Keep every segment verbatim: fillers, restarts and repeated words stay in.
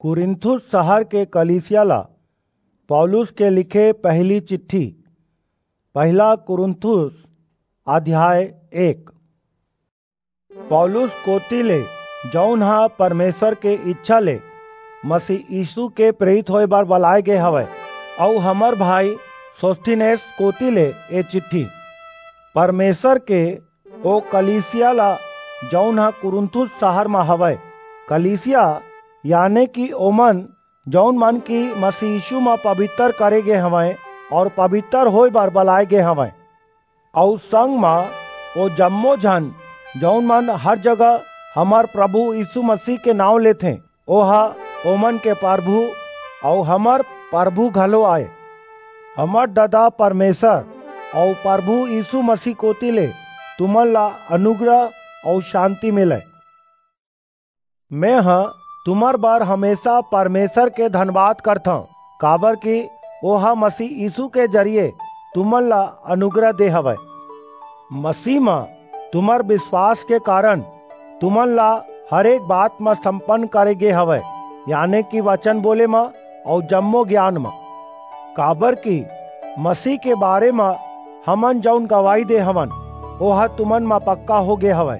कुरिन्थुस शहर के कलीसिया ला पौलुस के लिखे पहली चिट्ठी। पहला कुरिन्थुस, अध्याय एक। पौलुस कोति ले, जऊन ह परमेसर के इच्छा ले मसीह यीसू के प्रेरित होय बर बलाय गे हवय, अऊ हमर भाई सोस्थिनेस कोति ले ए चिट्ठी। परमेसर के ओ कलीसिया ला, जऊन ह कुरिन्थुस सहर म हवय, कलीसिया, याने कि ओमन, जऊन मन कि मसीह यीसू म पबितर करे गे हवंय अऊ पबितर होय बर बलाय गे हवंय, अऊ संग म ओ जम्मो झन, जऊन मन हर जगह हमर परभू यीसू मसीह के नांव लेथें, ओह ओमन के परभू अऊ हमर परभू घलो आय। हमर ददा परमेसर अऊ परभू यीसू मसीह कोति ले तुमन ला अनुग्रह अऊ सांति मिलय। मेंह तुम्हर बर हमेसा परमेसर के धनबाद करथंव, काबरकि ओह मसीह यीसू के जरिये तुमन ला अनुग्रह दे हवय। मसीह म तुम्हर बिसवास के कारन तुमन ला हरेक बात म संपन्न करे गे हवय, याने कि बचन बोले म अऊ जम्मो गियान म। काबरकि मसीह के बारे म हमन जऊन गवाही दे हवन, ओह तुमन म पक्का हो गे हवय।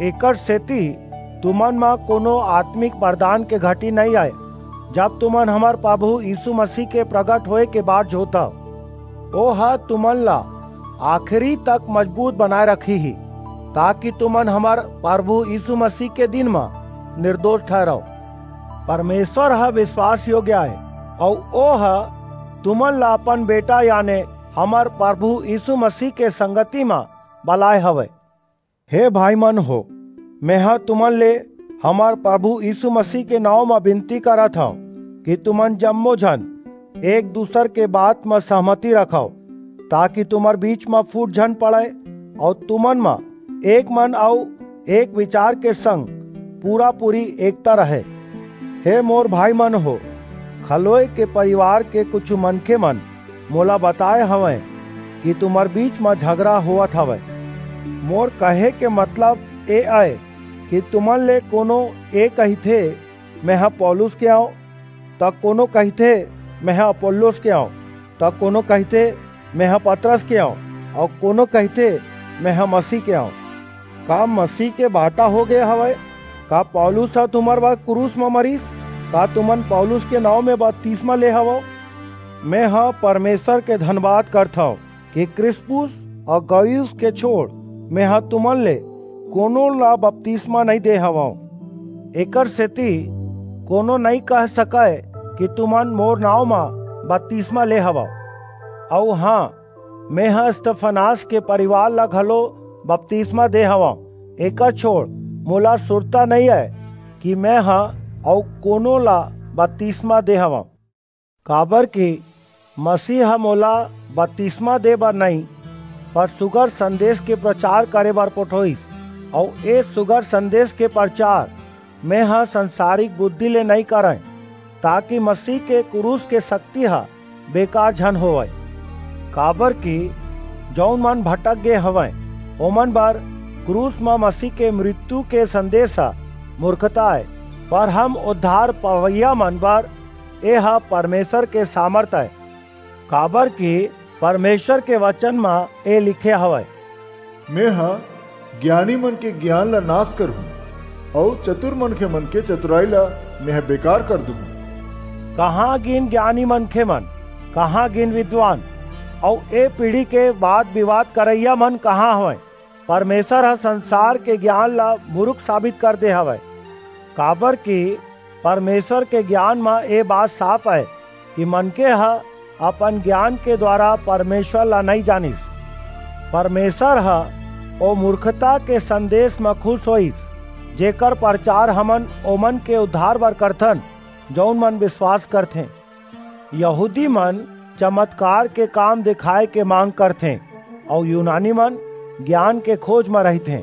एकरसेति तुमन म कोनो आतमिक बरदान के घटी नइं आय, जब तुमन हमर परभू यीसू मसीह के परगट होय के बाट जोहथव। ओह तुमन ला आखिरी तक मजबूत बनाय रखिही, ताकि तुमन हमर परभू यीसू मसीह के दिन म निरदोस ठहिरव। परमेसर ह बिसवास योग्य अय, अऊ ओह तुमन ला अपन बेटा, याने हमर परभू यीसू मसीह के संगति म बलाय हवय। हे भाईमन हो, मेंह तुमन ले हमर परभू यीसू मसीह के नांव म बिनती करत हंव कि तुमन जम्मो झन एक दूसर के बात म सहमति रखव, ताकि तुम्हर बीच म फूट झन पड़य, अऊ तुमन म एक मन अऊ एक बिचार के संग पूरा-पूरी एकता रहय। हे मोर भाईमन हो, खलोय के परिवार के कुछू मनखेमन मोला बताय हवंय कि तुम्हर बीच म झगरा होवत हवय। मोर कहे के मतलब ए अय कि तुमन ले कोनो ए कहिथे, "मेंह पौलुस के अंव," त कोनो कहिथे, "मेंह अपोल्लोस के अंव," त कोनो कहिथे, "मेंह पतरस के अंव," अऊ कोनो कहिथे, "मेंह मसीह के अंव।" का मसीह के बांटा हो गे हवय? का पौलुस ह तुम्हर बर क्रूस म मरिस? का तुमन पौलुस के नांव म बतिसमा ले हवव? मेंह परमेसर के धनबाद करथंव कि क्रिस्पुस अऊ गयुस के छोंड़ मेंह तुमन ले कोनो ला बतिसमा नइं दे हवंव। एकरसेति कोनो नइं कह सकय कि तुमन मोर नांव म बतिसमा ले हवव। अऊ हां, मेंह स्तिफनास के परिवार ला घलो बतिसमा दे हवंव। एकर छोंड़ मोला सुरता नइं अय कि मेंह अऊ कोनो ला बतिसमा दे हवंव। काबरकि मसीह ह मोला बतिसमा दे बर नइं, पर सुघर संदेस के परचार करे बर पठोईस, अऊ ए सुघर संदेस के परचार मेंह संसारिक बुद्धि ले नइं करंय, ताकि मसीह के क्रूस के सक्ति ह बेकार झन होवय। काबरकि जऊन मन भटक गे हवंय, ओमन बर क्रूस म मसीह के मृत्यु के संदेस ह मूरखता अय, पर हम उद्धार पवइया मन बर एह परमेसर के सामरथ अय। काबरकि परमेसर के बचन म ए लिखे हवय, मेंह गियानी मन के गियान ला नास करहूं, अऊ चतुर मनखेमन के चतुरई ला मेंह बेकार कर दूहूं। कहां गिन गियानी मनखेमन, कहां गिन बिद्वान, अऊ ए पीढ़ी के बात-बिबाद करइया मन कहां हवंय? परमेसर ह संसार के गियान ला मुरुख साबित कर दे हवय, काबरकि परमेसर के गियान म ए बात साफ अय कि मनखे ह अपन गियान के दुवारा परमेसर ला नइं जानिस। परमेसर ह ओ मूरखता के संदेस म खुस होईस, जेकर परचार हमन ओमन के उद्धार बर करथन, जऊन मन बिसवास करथें। यहूदी मन चमतकार के काम देखाय के मांग करथें, अऊ यूनानी मन गियान के खोज म रहिथें।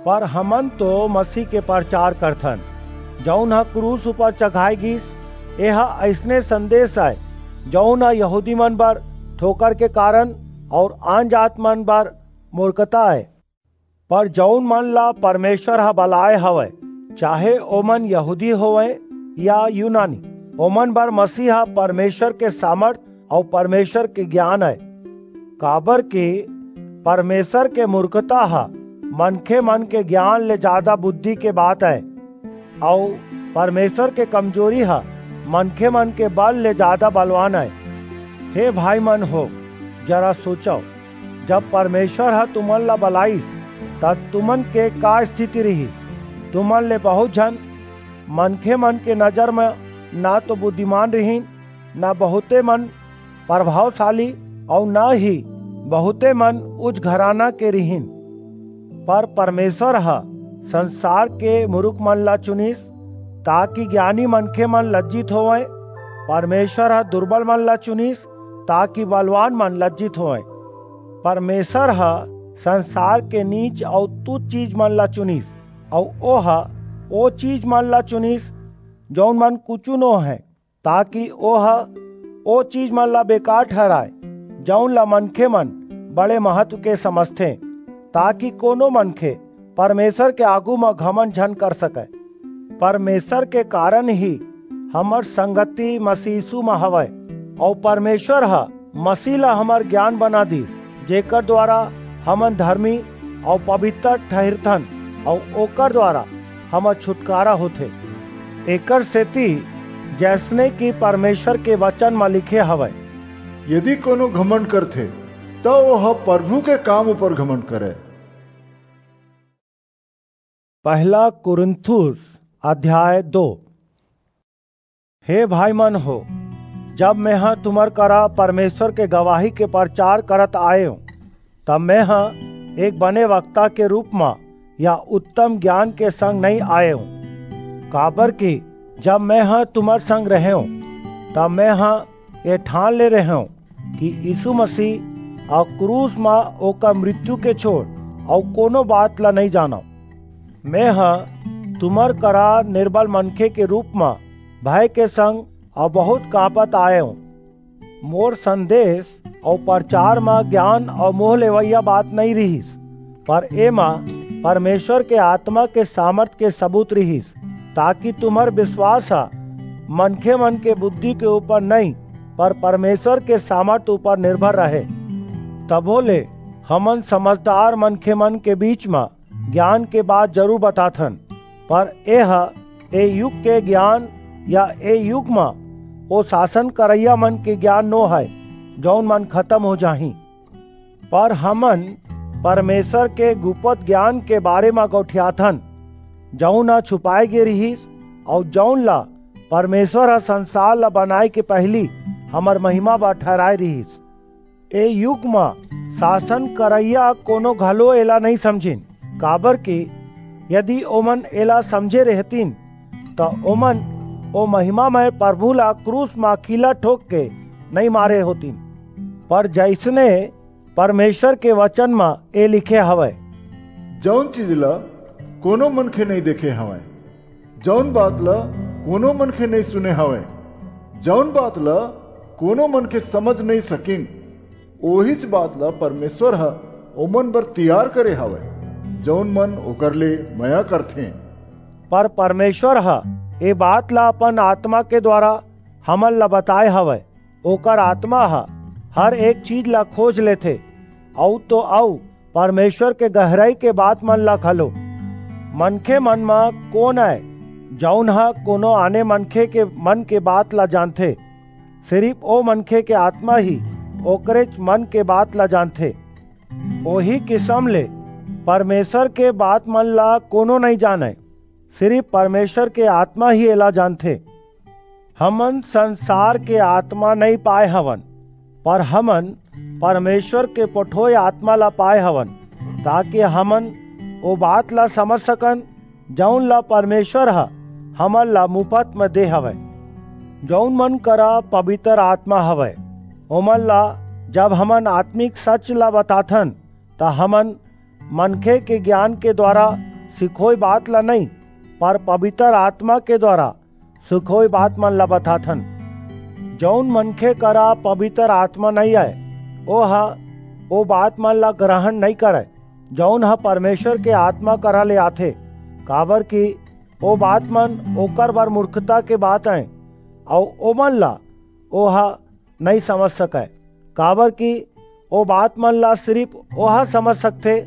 पर हमन तो मसीह के परचार करथन, जऊन ह क्रूस ऊपर चघाय गीस। एह अइसने संदेस अय, जऊन ह यहूदी मन बर ठोकर के कारन अऊ आनजात मन बर मूरखता अय। पर जऊन मन ला परमेसर ह बलाय हवय, चाहे ओमन यहूदी होवंय या यूनानी, ओमन बर मसीह ह परमेसर के सामर्थ अऊ परमेसर के गियान अय। काबरकि परमेसर के मुरखता ह मनखेमन के गियान ले जादा बुद्धि के बात अय, अऊ परमेसर के कमजोरी ह मनखेमन के बल ले जादा बलवान अय। हे भाईमन हो, जरा सोचव, जब परमेसर ह तुमन ला बलाइस, त तुमन के का स्थिति रिहिस? तुमन ले बहुंत झन मनखेमन के नजर म न तो बुद्धिमान रिहिन, न बहुंते मन परभावसाली, अऊ न ही बहुंते मन ऊंच घराना के रिहिन। पर परमेसर ह संसार के मुरुखमन ला चुनिस, ताकि गियानी मनखेमन लज्जित होवंय। परमेसर ह दुरबलमन ला चुनिस, ताकि बलवानमन लज्जित होवंय। परमेसर ह संसार के नीच अऊ तुछ चीजमन ला चुनिस, अऊ ओह ओ चीजमन ला चुनिस, जऊन मन कुछू नो हंय, ताकि ओह ओ चीजमन ला बेकार ठहराय, जऊन ला मनखेमन बड़े महत्व के समझथें, ताकि कोनो मनखे परमेसर के आघू म घमंड झन कर सकय। परमेसर के कारन ही हमर संगति मसीह यीसू म हवय, अऊ परमेसर ह मसीह ला हमर गियान बना दीस, जेकर दुवारा हमन धरमी अऊ पबितर ठहिरथन, अऊ ओकर दुवारा हमर छुटकारा होथे। एकरसेति जइसने कि परमेसर के बचन म लिखे हवय, यदि कोनो घमंड करथे, त ओह परभू के काम ऊपर घमंड करय। पहला कुरिन्थुस अध्याय दो। हे भाईमन हो, जब मेंह तुम्हर करा परमेसर के गवाही के परचार करत आयेंव, त मेंह एक बने वक्ता के रूप म या उत्तम गियान के संग नइं आयेंव, काबरकि जब मेंह तुम्हर संग रहेंव, त मेंह ए ठान ले रहेंव कि यीसू मसीह अऊ क्रूस म ओकर मृत्यु के छोंड़ अऊ कोनो बात ला नइं जानंव। मेंह तुम्हर करा निरबल मनखे के रूप म भय के संग अऊ बहुंत कांपत आयेंव। मोर संदेस अऊ परचार म गियान अऊ मोह लेवइया बात नइं रिहिस, पर एमा परमेसर के आतमा के सामरथ के सबूत रिहिस, ताकि तुम्हर बिसवास ह मनखेमन के बुद्धि के ऊपर नइं, पर परमेसर के सामरथ ऊपर निरभर रहे। तभो ले हमन समझदार मनखेमन के बीच म गियान के बात जरूर बताथन, पर एह ए युग के गियान या ए युग म ओ सासन करइयामन के गियान नो हय, जऊन मन खतम हो जाहीं। पर हमन परमेसर के गुपत गियान के बारे म गोठियाथन, जऊन ह छुपाय गे रिहिस, अऊ जऊन ला परमेसर ह संसार ला बनाय के पहिली हमर महिमा बर ठहराय रिहिस। ए युग म सासन करइया कोनो घलो एला नइं समझिन, काबरकि यदि ओमन एला समझे रेहतिन, त ओमन ओ महिमामय परभू ला क्रूस म कीला ठोंक के नइं मारे होतिन। पर जइसने परमेसर के बचन म ए लिखे हवय, जऊन चीज ला कोनो मनखे नइं देखे हवय, जऊन बात ला कोनो मनखे नइं सुने हवय, जऊन बात ला कोनो मनखे समझ नइं सकिन, ओहीच बात ला परमेसर ह ओमन बर तियार करे हवय, जऊन मन ओकर ले मया करथें। पर परमेसर ह ए बात ला अपन आतमा के दुवारा हमन ला बताय हवय। ओकर आतमा ह हर एक चीज ला खोज लेथे, अऊ तो अऊ परमेसर के गहरई के बातमन ला घलो। मनखेमन म कोन अय, जऊन ह कोनो आने मनखे के मन के बात ला जानथे? सिरिप ओ मनखे के आतमा ही ओकरेच मन के बात ला जानथे। ओही किसम ले परमेसर के बातमन ला कोनो नइं जानय, सिरिप परमेसर के आतमा ही एला जानथे। हमन संसार के आतमा नइं पाय हवन, पर हमन परमेसर के पठोय आतमा ला पाय हवन, ताकि हमन ओ बात ला समझ सकन, जऊन ला परमेसर ह हमन ला मुफत म दे हवय। जऊन मन करा पबितर आतमा हवय, ओमन ला जब हमन आतमिक सच ला बताथन, त हमन मनखे के गियान के दुवारा सिखोय बात ला नइं, पर पबितर आतमा के दुवारा सिखोय बातमन ला बताथन। जऊन मनखे करा पबितर आतमा नइं अय, ओह ओ बातमन ला ग्रहण नइं करय, जऊन ह परमेसर के आतमा करा ले आथे, काबरकि ओ बात मन ओकर बर मूर्खता के बात अय, अऊ ओमन ला ओह नइं समझ सकय, काबरकि ओ बात मन ला सिरिप ओह समझ सकथे,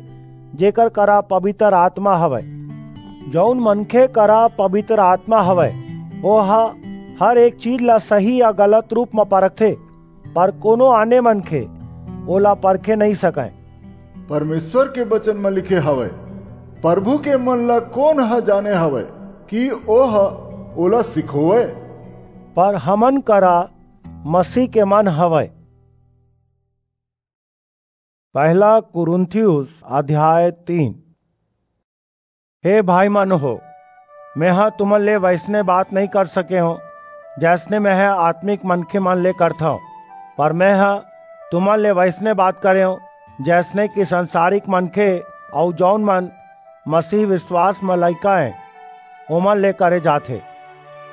जेकर करा पबितर आतमा हवय। जऊन मनखे करा पबितर आतमा हवय, ओह हर एक चीज ला सही या गलत रूप म परखथे, पर कोनो आने मनखे ओला परखे नइं सकय। परमेसर के बचन म लिखे हवय, "परभू के मन ला कोन ह जाने हवय, कि ओह ओला सिखोवय?" पर हमन करा मसीह के मन हवय। पहला कुरिन्थियुस अध्याय तीन। हे भाई मन हो, मेंह तुमन ले वइसने बात नइं कर सके हंव, जइसने मेंह आत्मिक मनखे मन ले करथंव, पर मेंह तुमन ले वइसने बात करेंव, जइसने कि संसारिक मनखे अऊ जऊन मन मसीह बिसवास म लइका अंय, ओमन ले करे जाथे।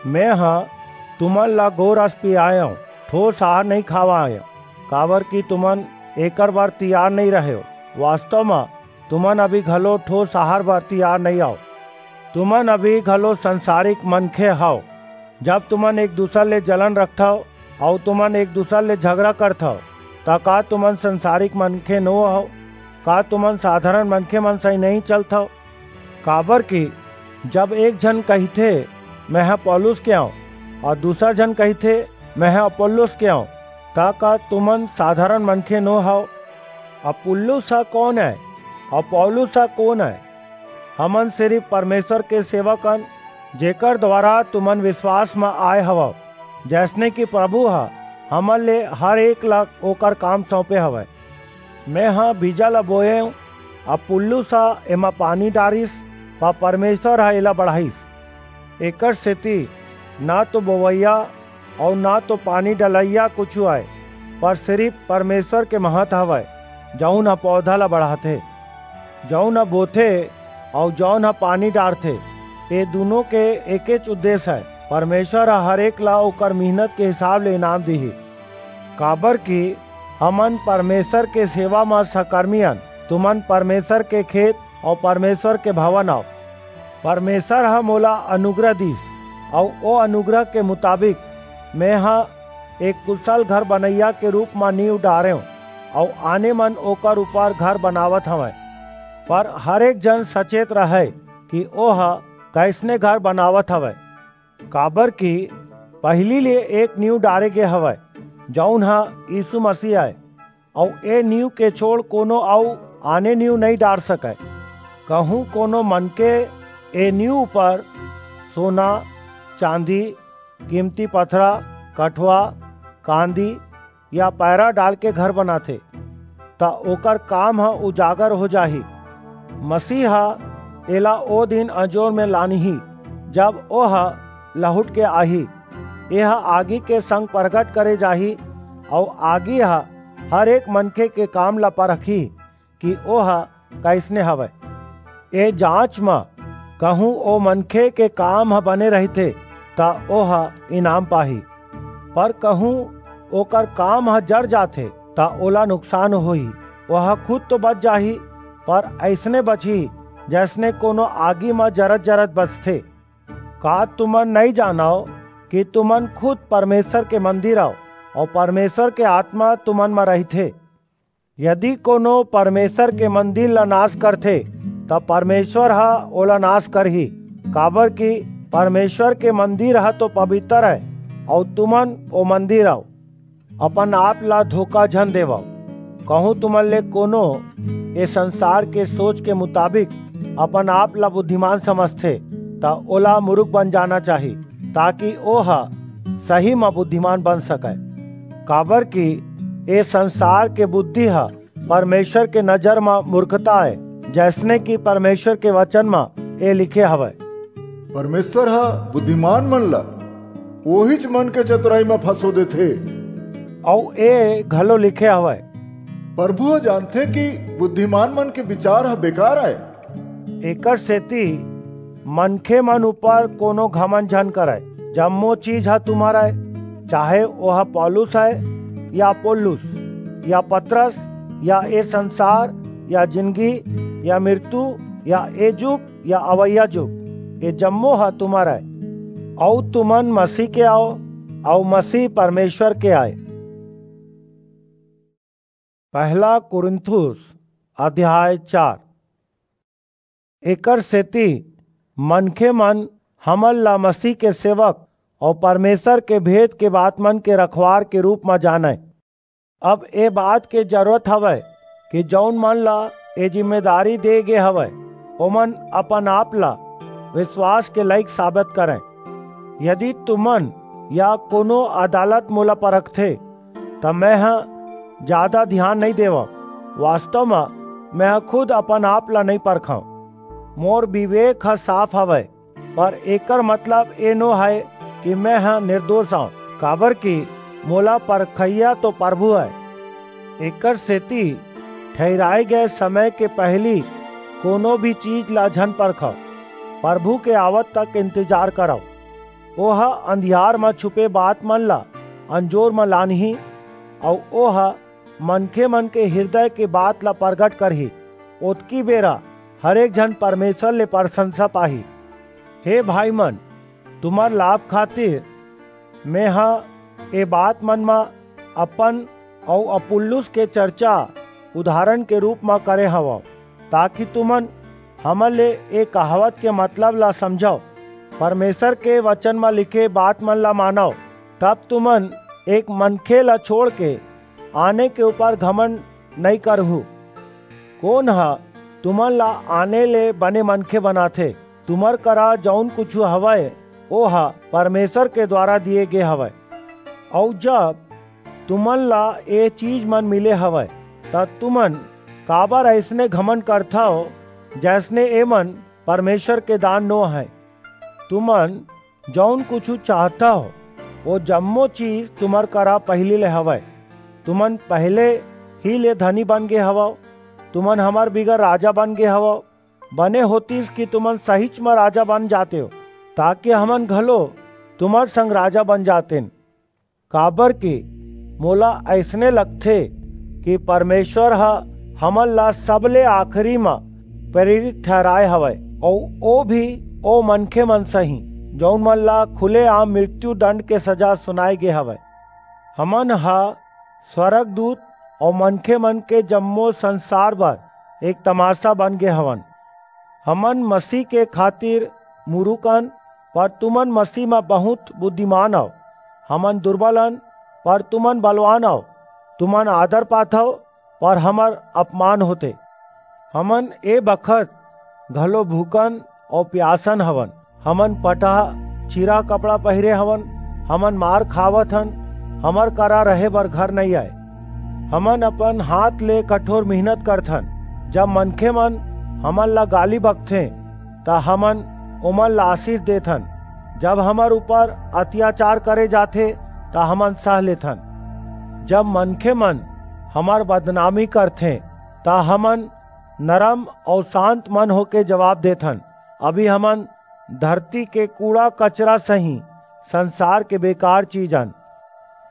मेंह तुमन ला गोरस पियायंव, ठोस आहार नइं खवायंव, काबरकि तुमन एकर बर तियार नइं रहेव। वास्तव म, तुमन अभी घलो ठोस आहार बर तियार नइं अव। तुमन अभी घलो संसारिक मनखे हव। जब तुमन एक-दूसर ले जलन रखथव अऊ तुमन एक-दूसर ले झगरा करथव, त का तुमन संसारिक मनखे नो हव? का तुमन साधारण मनखे मन सहीं नइं चलथव? काबरकि जब एक झन कहिथे, "मेंह पौलुस के अंव," अऊ दूसर झन कहिथे, "मेंह अपुल्लोस के अंव," त का तुमन साधारण मनखे नो हव? अपुल्लोस ह कोन अंय? अऊ पौलुस ह कोन अंय? हमन सिरिप परमेसर के सेवक अन, जेकर दुवारा तुमन बिसवास म आय हवव, जइसने कि परभू ह हमन ले हर एक ला ओकर काम सऊंपे हवय। मेंह बीजा ला बोयेंव, अपुल्लोस ह एमा पानी डारिस, पर परमेसर ह एला बढ़ाईस। एकरसेति न तो बोवइया अऊ न तो पानी डलइया कुछू अय, पर सिरिप परमेसर के महत हवय, जऊन ह पौधा ला बढ़ाथे। जऊन ह बोथे अऊ जऊन ह पानी डारथे, ए दूनों के एकेच उद्देस अय। परमेसर ह हर एक ला ओकर मिहनत के हिसाब ले इनाम दिही। काबरकि हमन परमेसर के सेवा म सकरमी अन, तुमन परमेसर के खेत अऊ परमेसर के भवन अव। परमेसर ह मोला अनुग्रह दीस, अऊ ओ अनुग्रह के मुताबिक मेंह एक कुसल घर बनइया के रूप म नींव डारेंव, अऊ आने मन ओकर ऊपर घर बनावत हवंय। पर हर एक जन सचेत रहय कि ओह कइसने घर बनावत हवय, काबरकि पहिली ले एक नींव डारे गे हवय, जऊन ह यीसू मसीह अय, अऊ ए नींव के छोंड़ कोनो अऊ आने नींव नइं डार सकय। कहूं कोनो मनखे ए नींव ऊपर सोना, चांदी, कीमती पथरा, कठवा, कांदी या पैरा डालके घर बनाथे, त ओकर काम ह उजागर हो जाही। मसीह ह एला ओ दिन अंजोर म लानही, जब ओह लहुट के आही। एह आगी के संग परगट करे जाही, अऊ आगी ह हर एक मनखे के काम ला परखही कि ओह कइसने हवय। ए जांच म कहूं ओ मनखे के काम ह बने रहिथे, त ओह इनाम पाही, पर कहूं ओकर काम ह जर जाथे, त ओला नुकसान होही। ओह खुद तो बच जाही, पर अइसने बचही, जइसने कोनो आगी म जरत-जरत बचथे। का तुमन नइं जानव कि तुमन खुद परमेसर के मंदिर अव, अऊ परमेसर के आतमा तुमन म रहिथे? यदि कोनो परमेसर के मंदिर ला नास करथे, त परमेसर ह ओला नास करही, काबरकि परमेसर के मंदिर ह तो पबितर अय, अऊ तुमन ओ मंदिर अव। अपन आप ला धोखा झन देवव। कहूं तुमन ले कोनो ए संसार के सोच के मुताबिक अपन आप ला बुद्धिमान समझथे, त ओला मुरुख बन जाना चाही, ताकि ओह सही म बुद्धिमान बन सकय। काबरकि ए संसार के बुद्धि ह परमेसर के नजर म मूर्खता अय, जइसने कि परमेसर के बचन म ए लिखे हवय, "परमेसर ह बुद्धिमान मन ला ओहीच मन के चतुरई म फंसो देथे।" अऊ ए घलो लिखे हवय, "परभू ह जानथे कि बुद्धिमान मन के बिचार ह बेकार अय।" एकरसेति मनखे मन ऊपर कोनो घमंड झन करय। जम्मो चीज ह तुम्हर अय, चाहे ओह पौलुस अय, या अपोल्लोस, या पतरस, या ए संसार, या जिनगी, या मिरतू, या ए जुग, या अवइया जुग, ये जम्मो ह तुम्हर आय, अऊ तुमन मसीह के आव, अऊ मसीह परमेश्वर के आय। पहला कुरिन्थुस अध्याय चार। एकर सेती मनखे मन हमन ला मसीह के सेवक अऊ परमेश्वर के भेद के बात मन के रखवार के रूप म जानय। अब ए बात के जरूरत हवय कि जऊन मन ला ए जिम्मेदारी दे गे हवय, ओमन अपन आप ला विश्वास के लायक साबित करंय। यदि तुमन या कोनो अदालत मोला परखथे, त मैं ह जादा धियान नइं देवंव। वास्तव म, मैं ह खुद अपन आप ला नइं परखंव। मोर विवेक ह साफ हवय, पर एकर मतलब ए नो हय कि मैं ह निर्दोष आंव, काबरकि मोला परखइया तो परभू अय। एकर सेती ठहिराय गय समय के पहिली कोनो भी चीज ला झन परखव, परभू के आवत तक इंतजार करव। ओह अंधियार म छुपे बात मन ला अंजोर म लानही, अऊ ओह मनखे मन के हिरदय के बात ला परगट करही। ओतकी बेरा हरेक झन परमेश्वर ले परसंसा पाही। हे भाई मन, तुम्हर लाभ खातिर मेंह ए बात मन म अपन अऊ अपुल्लोस के चर्चा उदाहरण के रूप म करे हवंव, ताकि तुमन हमर ले ए कहावत के मतलब ला समझव, परमेश्वर के वचन म लिखे बात मन ला मानव, तब तुमन एक मनखे ला छोड़ के आने के ऊपर घमंड नइं करहू। कोन ह तुमन ला आने ले बने मनखे बनाथे? तुम्हर करा जऊन कुछू हवय, ओह परमेश्वर के द्वारा दिये गे हवय। अऊ जब तुमन ला ए चीज मन मिले हवय, त तुमन काबर अइसने घमंड करथव, जइसने एमन परमेश्वर के दान नो हय? तुमन जऊन कुछू चाहथव, ओ जम्मो चीज तुम्हर करा पहिली ले हवय। तुमन पहले ही ले धनी बन गे हवव। तुमन हमर बिगर राजा बन गे हवव। बने होतिस कि तुमन सहीच म राजा बन जातेव, ताकि हमन घलो तुम्हर संग राजा बन जातेन। काबरकि मोला अइसने लगथे कि परमेश्वर ह हमन ला सबले आखिरी म प्रेरित ठहराय हवय, अऊ ओ भी ओ मनखे मन सही, जऊन मन ला खुलेआम मृत्यु दंड के सजा सुनाय गे हवय। हमन ह स्वर्गदूत अऊ मनखे मन के जम्मो संसार बर एक तमाशा बन गे हवन। हमन मसीह के खातिर मुरुख अन, पर तुमन मसीह म बहुंत बुद्धिमान अव। हमन दुरबल अन, पर तुमन बलवान अव। तुमन आदर पाथव, पर हमर अपमान होथे। हमन ए बखत घलो भूखन अऊ पियासन हवन। हमन पटहा चीरा कपड़ा पहिरे हवन। हमन मार खावत हन। हमर करा रहे बर घर नइं आय। हमन अपन हाथ ले कठोर मेहनत करथन। जब मनखे मन हमन ला गाली बकथें, त हमन ओमन ला आशीष देथन। जब हमर ऊपर अत्याचार करे जाथे, त हमन सह लेथन। जब मनखे मन हमर बदनामी करथें, त हमन नरम अऊ शांत मन होके जवाब देथन, "अभी हमन धरती के कूड़ा कचरा सही संसार के बेकार चीज अन।"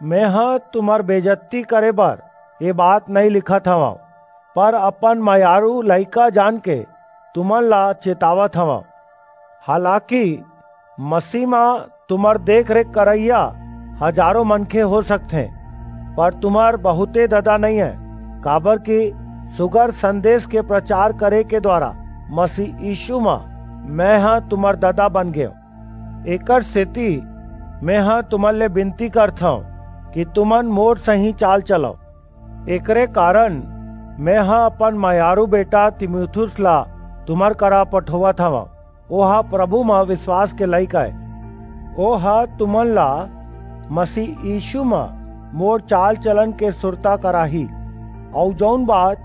मेंह तुम्हर बेइज्जती करे बर ए बात नइं लिखत हवंव, पर अपन मयारू लइका जान के तुमन ला चेतावत हवंव। हालाकि मसीह म तुम्हर देख-रेख करइया हजारों मनखे हो सकथें, पर तुम्हर बहुंते ददा नइं हे, काबरकि सुघर संदेश के प्रचार करे के द्वारा मसीह यीशु म मेंह तुम्हर ददा बन गेंव। एकर सेती मेंह तुमन ले बिनती करथंव कि तुमन मोर सहीं चाल चलव। एकरे कारन मेंह अपन मयारू बेटा तीमुथियुस ला तुम्हर करा पठोवत हवंव। ओह प्रभु म बिसवास के लइक अय। ओह तुमन ला मसीह यीशु म मोर चाल-चलन के सुरता कराही, अऊ जऊन बात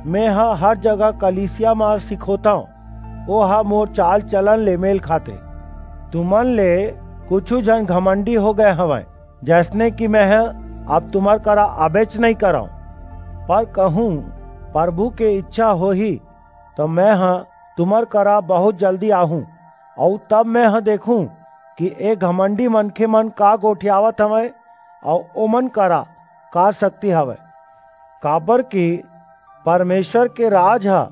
मेंह हर जगह कलीसिया म सिखोथंव, ओह मोर चाल-चलन ले मेल खाथे। तुमन ले कुछू झन घमंडी हो गय हवंय, जइसने कि मेंह अब तुम्हर करा आबेच नइं करंव। पर कहूं परभू के इच्छा होही, त मेंह तुम्हर करा बहुंत जल्दी आहूं, अऊ तब मेंह देखहूं कि ए घमंडी मनखे मन का गोठियावत हवंय, अऊ ओमन करा का सक्ति हवय। काबरकि परमेश्वर के राज ह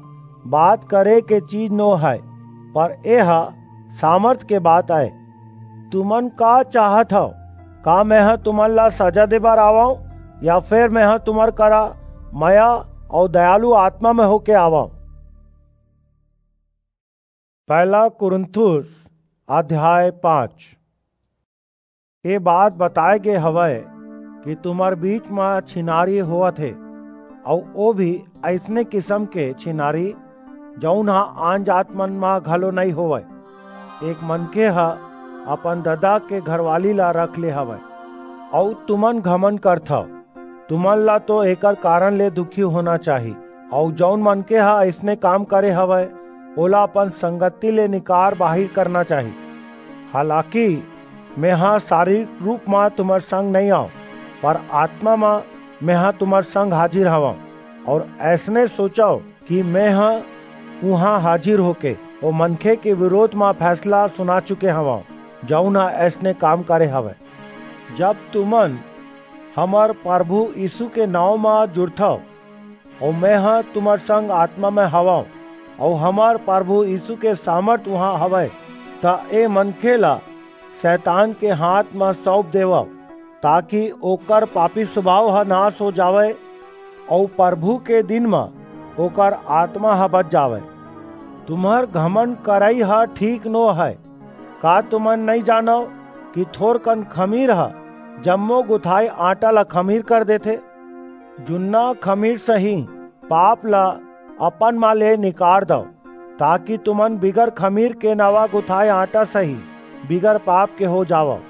बात करे के चीज नो हय, पर एह सामर्थ के बात आय। तुमन का चाहत हव? का मेंह तुमन ला सजा दे बर आवंव, या फेर मेंह तुम्हर करा मया अऊ दयालु आत्मा में होके आवंव? पहला कुरिन्थुस अध्याय पाँच। ये बात बताए गे हवय कि तुम्हर बीच म छिनारी होवत हे, अऊ ओ भी अइसने किसम के छिनारी, जऊन ह आन जात मन म घलो नइं होवय। एक मनखे ह अपन ददा के घरवाली ला रख ले हवय, अऊ तुमन घमंड करथव। तुमन ला तो एकर कारन ले दुखी होना चाही, अऊ जऊन मनखे ह अइसने काम करे हवय, ओला अपन संगति ले निकार बाहिर करना चाही। हालाकि मेंह शारीरिक रूप म तुम्हर संग नइं आंव, पर आत्मा म मेंह तुम्हर संग हाजिर हवंव, अऊ अइसने सोचव कि मेंह उहां हाजिर होके ओ मनखे के बिरोध म फैसला सुना चुके हवंव, जऊन ह अइसने काम करे हवय। जब तुमन हमर परभू यीसू के नांव म जुरथव, अऊ मेंह तुम्हर संग आत्मा म हवंव, अऊ हमर परभू यीसू के सामर्थ उहां हवय, त ए मनखे ला सैतान के हांथ म सऊंप देवव, ताकि ओकर पापी सुभाव ह नास हो जावय, अऊ परभू के दिन म ओकर आत्मा ह बच जावय। तुम्हर घमंड करई ह ठीक नो हय। का तुमन नइं जानव कि थोरकन खमीर ह जम्मो गुथाय आटा ला खमीर कर देथे? जुन्ना खमीर सहीं पाप ला अपन म ले निकार दव, ताकि तुमन बिगर खमीर के नवा गुथाय आटा सहीं बिगर पाप के हो जावव,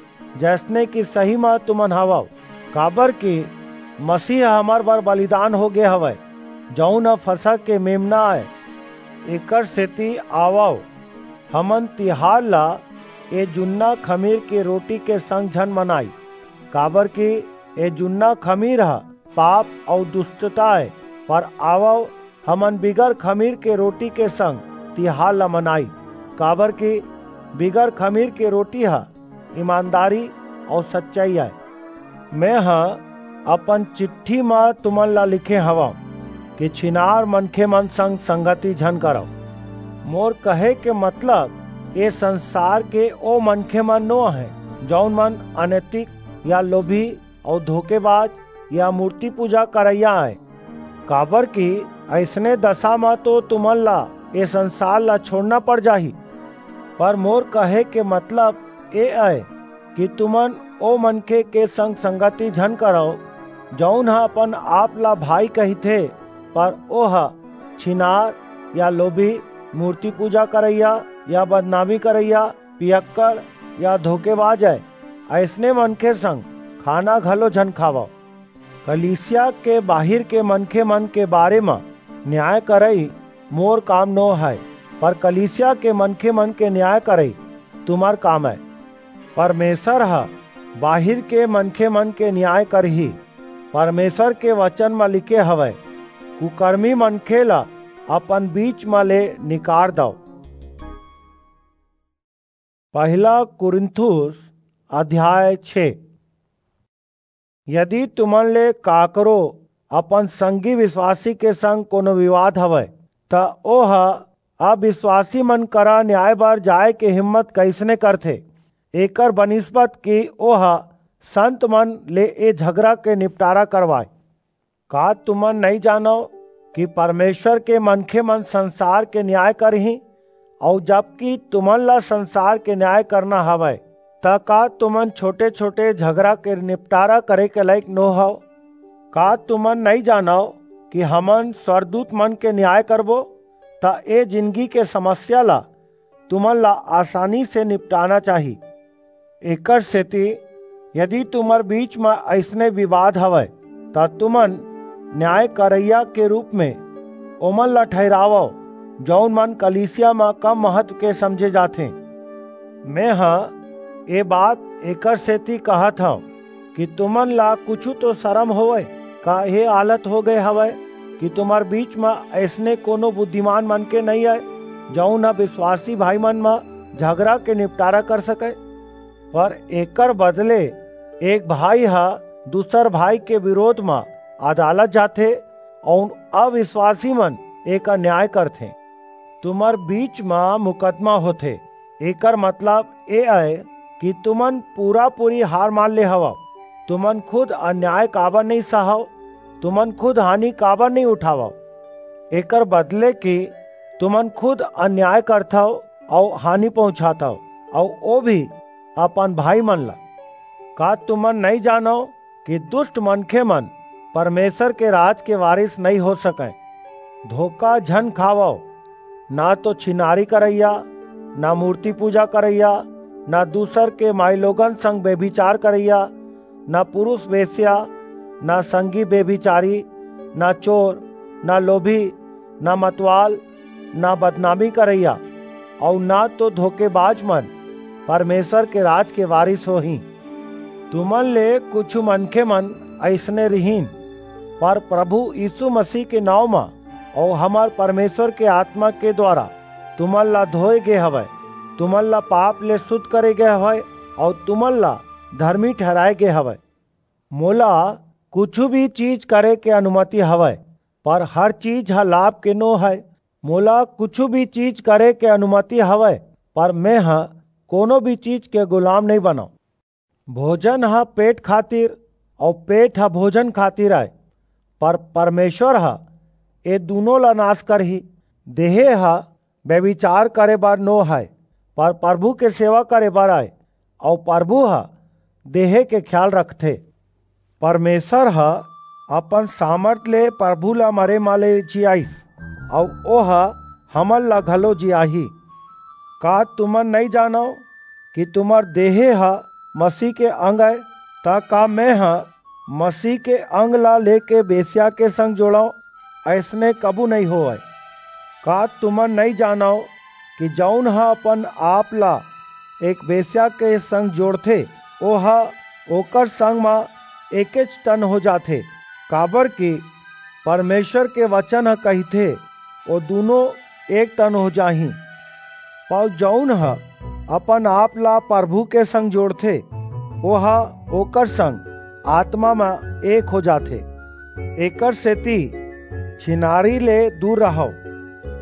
जइसने कि सहीं म तुमन हवव। काबरकि मसीह ह हमर बर बलिदान हो गे हवय, जऊन ह फसह के मेमना अय। एकरसेति आवव, हमन तिहार ला ए जुन्ना खमीर के रोटी के संग झन मनाई, काबरकि ए जुन्ना खमीर ह पाप अऊ दुस्टता अय, पर आवव, हमन बिगर खमीर के रोटी के संग तिहार ला मनाई, काबरकि बिगर खमीर के रोटी ह ईमानदारी अऊ सच्चई अय। मेंह अपन चिट्ठी म तुमन ला लिखे हवंव कि छिनार मनखे मन संग संगति झन करव। मोर कहे के मतलब ए संसार के ओ मनखे मन नो अहें, जऊन मन अनैतिक या लोभी अऊ धोखेबाज या मूर्ति पूजा करइया अय, काबरकि अइसने दसा म तो तुमन ला ए संसार ला छोड़ना पड़ जाही। पर मोर कहे के मतलब ए अय कि तुमन ओ मनखे के संग संगति झन करव, जऊन ह अपन आप ला भाई कहिथे, पर ओह छिनार या लोभी, मूर्ति पूजा करइया या बदनामी करइया, पियक्कड़ या धोखेबाज अय। अइसने मनखे संग खाना घलो झन खावव। कलीसिया के बाहिर के मनखे मन के बारे म न्याय करई मोर काम नो हय, पर कलीसिया के मनखे मन के न्याय करई तुम्हर काम अय। परमेसर ह बाहिर के मनखे मन के न्याय करही। परमेसर के बचन म लिखे हवय, "कुकरमी मनखे ला अपन बीच म ले निकार दव।" पहला कुरिन्थुस अध्याय छे। यदि तुमन ले काकरो अपन संगी बिसवासी के संग कोनो बिवाद हवय, त ओह अबिसवासी मन करा न्याय बर जाय के हिम्मत कइसने करथे? एकर बनिस्बत कि ओह संत मन ले ए झगरा के निपटारा करवाय। का तुमन नइं जानव कि परमेसर के मनखे मन संसार के न्याय करहीं? अऊ जबकि तुमन ला संसार के न्याय करना हवय, त का तुमन छोटे-छोटे झगरा के निपटारा करे के लइक नो हव? का तुमन नइं जानव कि हमन स्वरदूत मन के न्याय करबो, त ए जिनगी के समस्या ला तुमन ला आसानी से निपटाना चाही? एकरसेति यदि तुम्हर बीच म अइसने बिबाद हवय, त तुमन न्याय करइया के रूप म ओमन ला ठहिरावव, जऊन मन कलीसिया म कम महत्व के समझे जाथें। मेंह ए बात एकरसेति कहत हंव कि तुमन ला कुछू तो सरम होवय। का ए आलत हो गे हवय कि तुम्हर बीच म अइसने कोनो बुद्धिमान मनखे नइं अय, जऊन ह बिसवासी भाईमन म झगरा के निपटारा कर सकय? पर एकर बदले एक भाई ह दूसर भाई के बिरोध म अदालत जाथे, अऊ अबिसवासी मन एकर न्याय करथें। तुम्हर बीच म मुकदमा होथे, एकर मतलब ए अय कि तुमन पूरा पूरी हार मान ले हवव। तुमन खुद अन्याय काबर नइं सहव? तुमन खुद हानि काबर नइं उठावव? एकर बदले कि तुमन खुद अन्याय करथव अऊ हानि पहुंचाथव, अऊ ओ भी अपन भाई मन ला। का तुमन नइं जानव कि दुष्ट मनखे मन परमेसर के राज के वारिस नइं हो सकंय? धोखा झन खावव, ना तो छिनारी करइया, ना मूरती पूजा करइया, ना दूसर के माईलोगन संग बेभिचार करइया, ना पुरुस बेस्या, ना संगी बेभिचारी, ना चोर, ना लोभी, ना मतवाल, ना बदनामी करइया, अऊ ना तो धोखेबाज मन परमेसर के राज के वारिस होहीं। तुमन ले कुछू मनखे मन अइसने रिहिन, पर परभू यीसू मसीह के नांव म अऊ हमर परमेसर के आतमा के दुवारा तुमन ला धोय गे हवय, तुमन ला पाप ले सुध करे गे हवय, अऊ तुमन ला धरमी ठहिराय गे हवय। मोला कुछू भी चीज करे के अनुमति हवय, पर हर चीज ह लाभ के नो हय। मोला कुछू भी चीज करे के अनुमति हवय, पर मेंह कोनो भी चीज के गुलाम नइं बनंव। भोजन ह पेट खातिर, अऊ पेट ह भोजन खातिर अय, पर परमेसर ह ए दूनों ला नास करही। देहे ह बेभिचार करे बर नो हय, पर परभू के सेवा करे बर अय, अऊ परभू ह देहे के खियाल रखथे। परमेसर ह अपन सामरथ ले परभू ला मरे म ले जियाईस, अऊ ओह हमन ला घलो जियाही। का तुमन नइं जानव कि तुम्हर देहे ह मसीह के अंग अय? त का मेंह मसीह के अंग ला लेके बेस्या के संग जोड़ंव? अइसने कभू नइं होवय। का तुमन नइं जानव कि जऊन ह अपन-आप ला एक बेस्या के संग जोड़थे, ओह ओकर संग म एकेच तन हो जाथे? काबरकि परमेसर के बचन ह कहिथे, "ओ दूनों एक तन हो जाहीं।" अऊ जऊन ह अपन-आप ला परभू के संग जोड़थे, ओह ओकर संग आतमा म एक हो जाथे। एकरसेति छिनारी ले दूर रहव।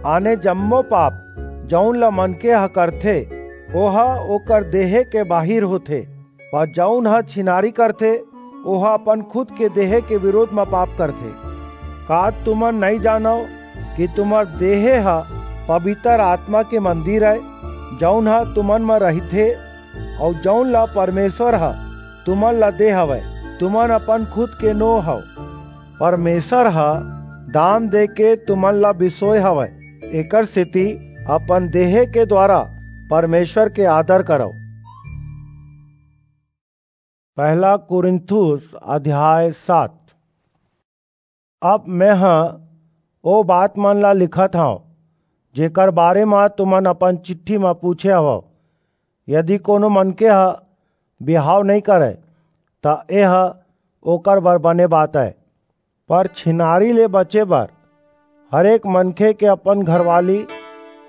आने जम्मो पाप, जऊन ल मनखे ह करथे, ओह ओकर देहे के बाहिर होथे, पर जऊन ह छिनारी करथे, ओह अपन खुद के देहे के बिरोध म पाप करथे। का तुमन नइं जानव कि तुम्हर देहे ह पबितर आतमा के मंदिर अय, जऊन ह तुमन म रहिथे, अऊ जऊन ला परमेसर ह तुमन ला दे हवय? तुमन अपन खुद के नो हव। परमेसर ह दाम देके तुमन ला बिसोय हवय, एकरसेति अपन देहे के दुवारा परमेसर के आदर करव। पहला कुरिन्थुस अध्याय सात। अब मेंह ओ बात मन ला लिखत हंव, जेकर बारे म तुमन अपन चिट्ठी म पूछे हवव। यदि कोनो मनखे ह बिहाव नइं करय, त एह ओकर बर बने बात अय। पर छिनारी ले बचे बर हरेक मनखे के अपन घरवाली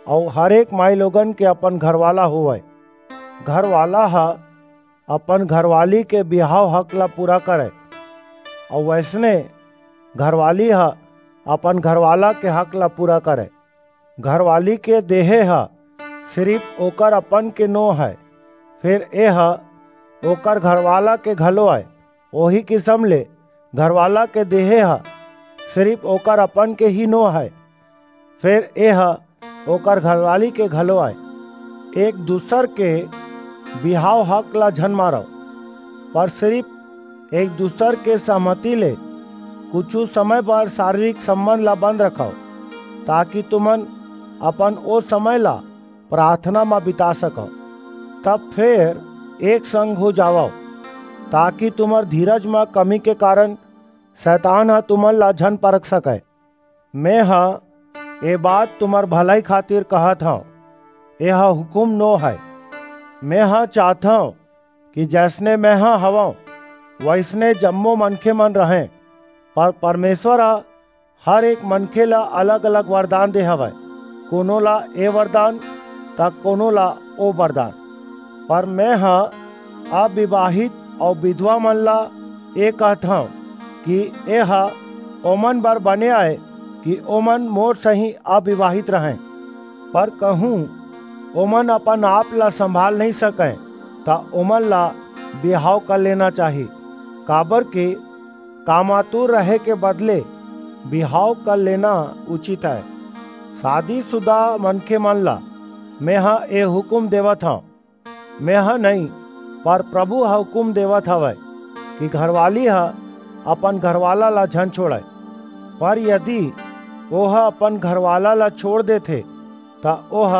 अऊ हरेक माईलोगन के अपन घरवाला होवय। घरवाला ह अपन घरवाली के बिहाव हक ला पूरा करय, अऊ वइसने घरवाली ह अपन घरवाला के हक ला पूरा करय। घरवाली के देहे ह सिरिप ओकर अपन के नो हय, फेर एह ओकर घरवाला के घलो अय। ओही किसम ले घरवाला के देहे ह सिरिप ओकर अपन के ही नो हय, फेर एह ओकर घरवाली के घलो अय। एक दूसर के बिहाव हक ला झन मारव, पर सिरिप एक दूसर के सहमति ले कुछू समय बर सारीरिक संबंध ला बंद रखव, ताकि तुमन अपन ओ समय ला प्रार्थना म बिता सकव। तब फेर एक संग हो जावव, ताकि तुमर धीरज म कमी के कारण सैतान ह तुमन ला झन परख सकय। मेंह ए बात तुमर भलई खातिर कहत हंव, एह हुकूम नो हय। मेंह चाहथंव कि जइसने मेंह हवंव, वइसने जम्मो मनखे मन रहंय, पर परमेसर ह हर एक मनखे ला अलग-अलग वरदान दे हवय, कोनो ला ए वरदान, त कोनो ला ओ वरदान। पर मेंह अविवाहित अऊ बिधवा मन ला ए कहत हंव कि एह ओमन बर बने अय कि ओमन मोर सहीं अविवाहित रहंय। पर कहूं ओमन अपन आप ला संभाल नहीं सकंय, त ओमन ला बिहाव कर लेना चाही, काबर कि कामातुर रहे के बदले बिहाव कर लेना उचित है। शादीशुदा मनखे मन ला मेंह ए हुकुम देवत हंव, मेंह नहीं, पर प्रभु ह हुकुम देवत हवय कि घरवाली ह अपन घरवाला ला झन छोड़य। पर यदि ओह अपन घरवाला ला छोड़ देथे, त ओह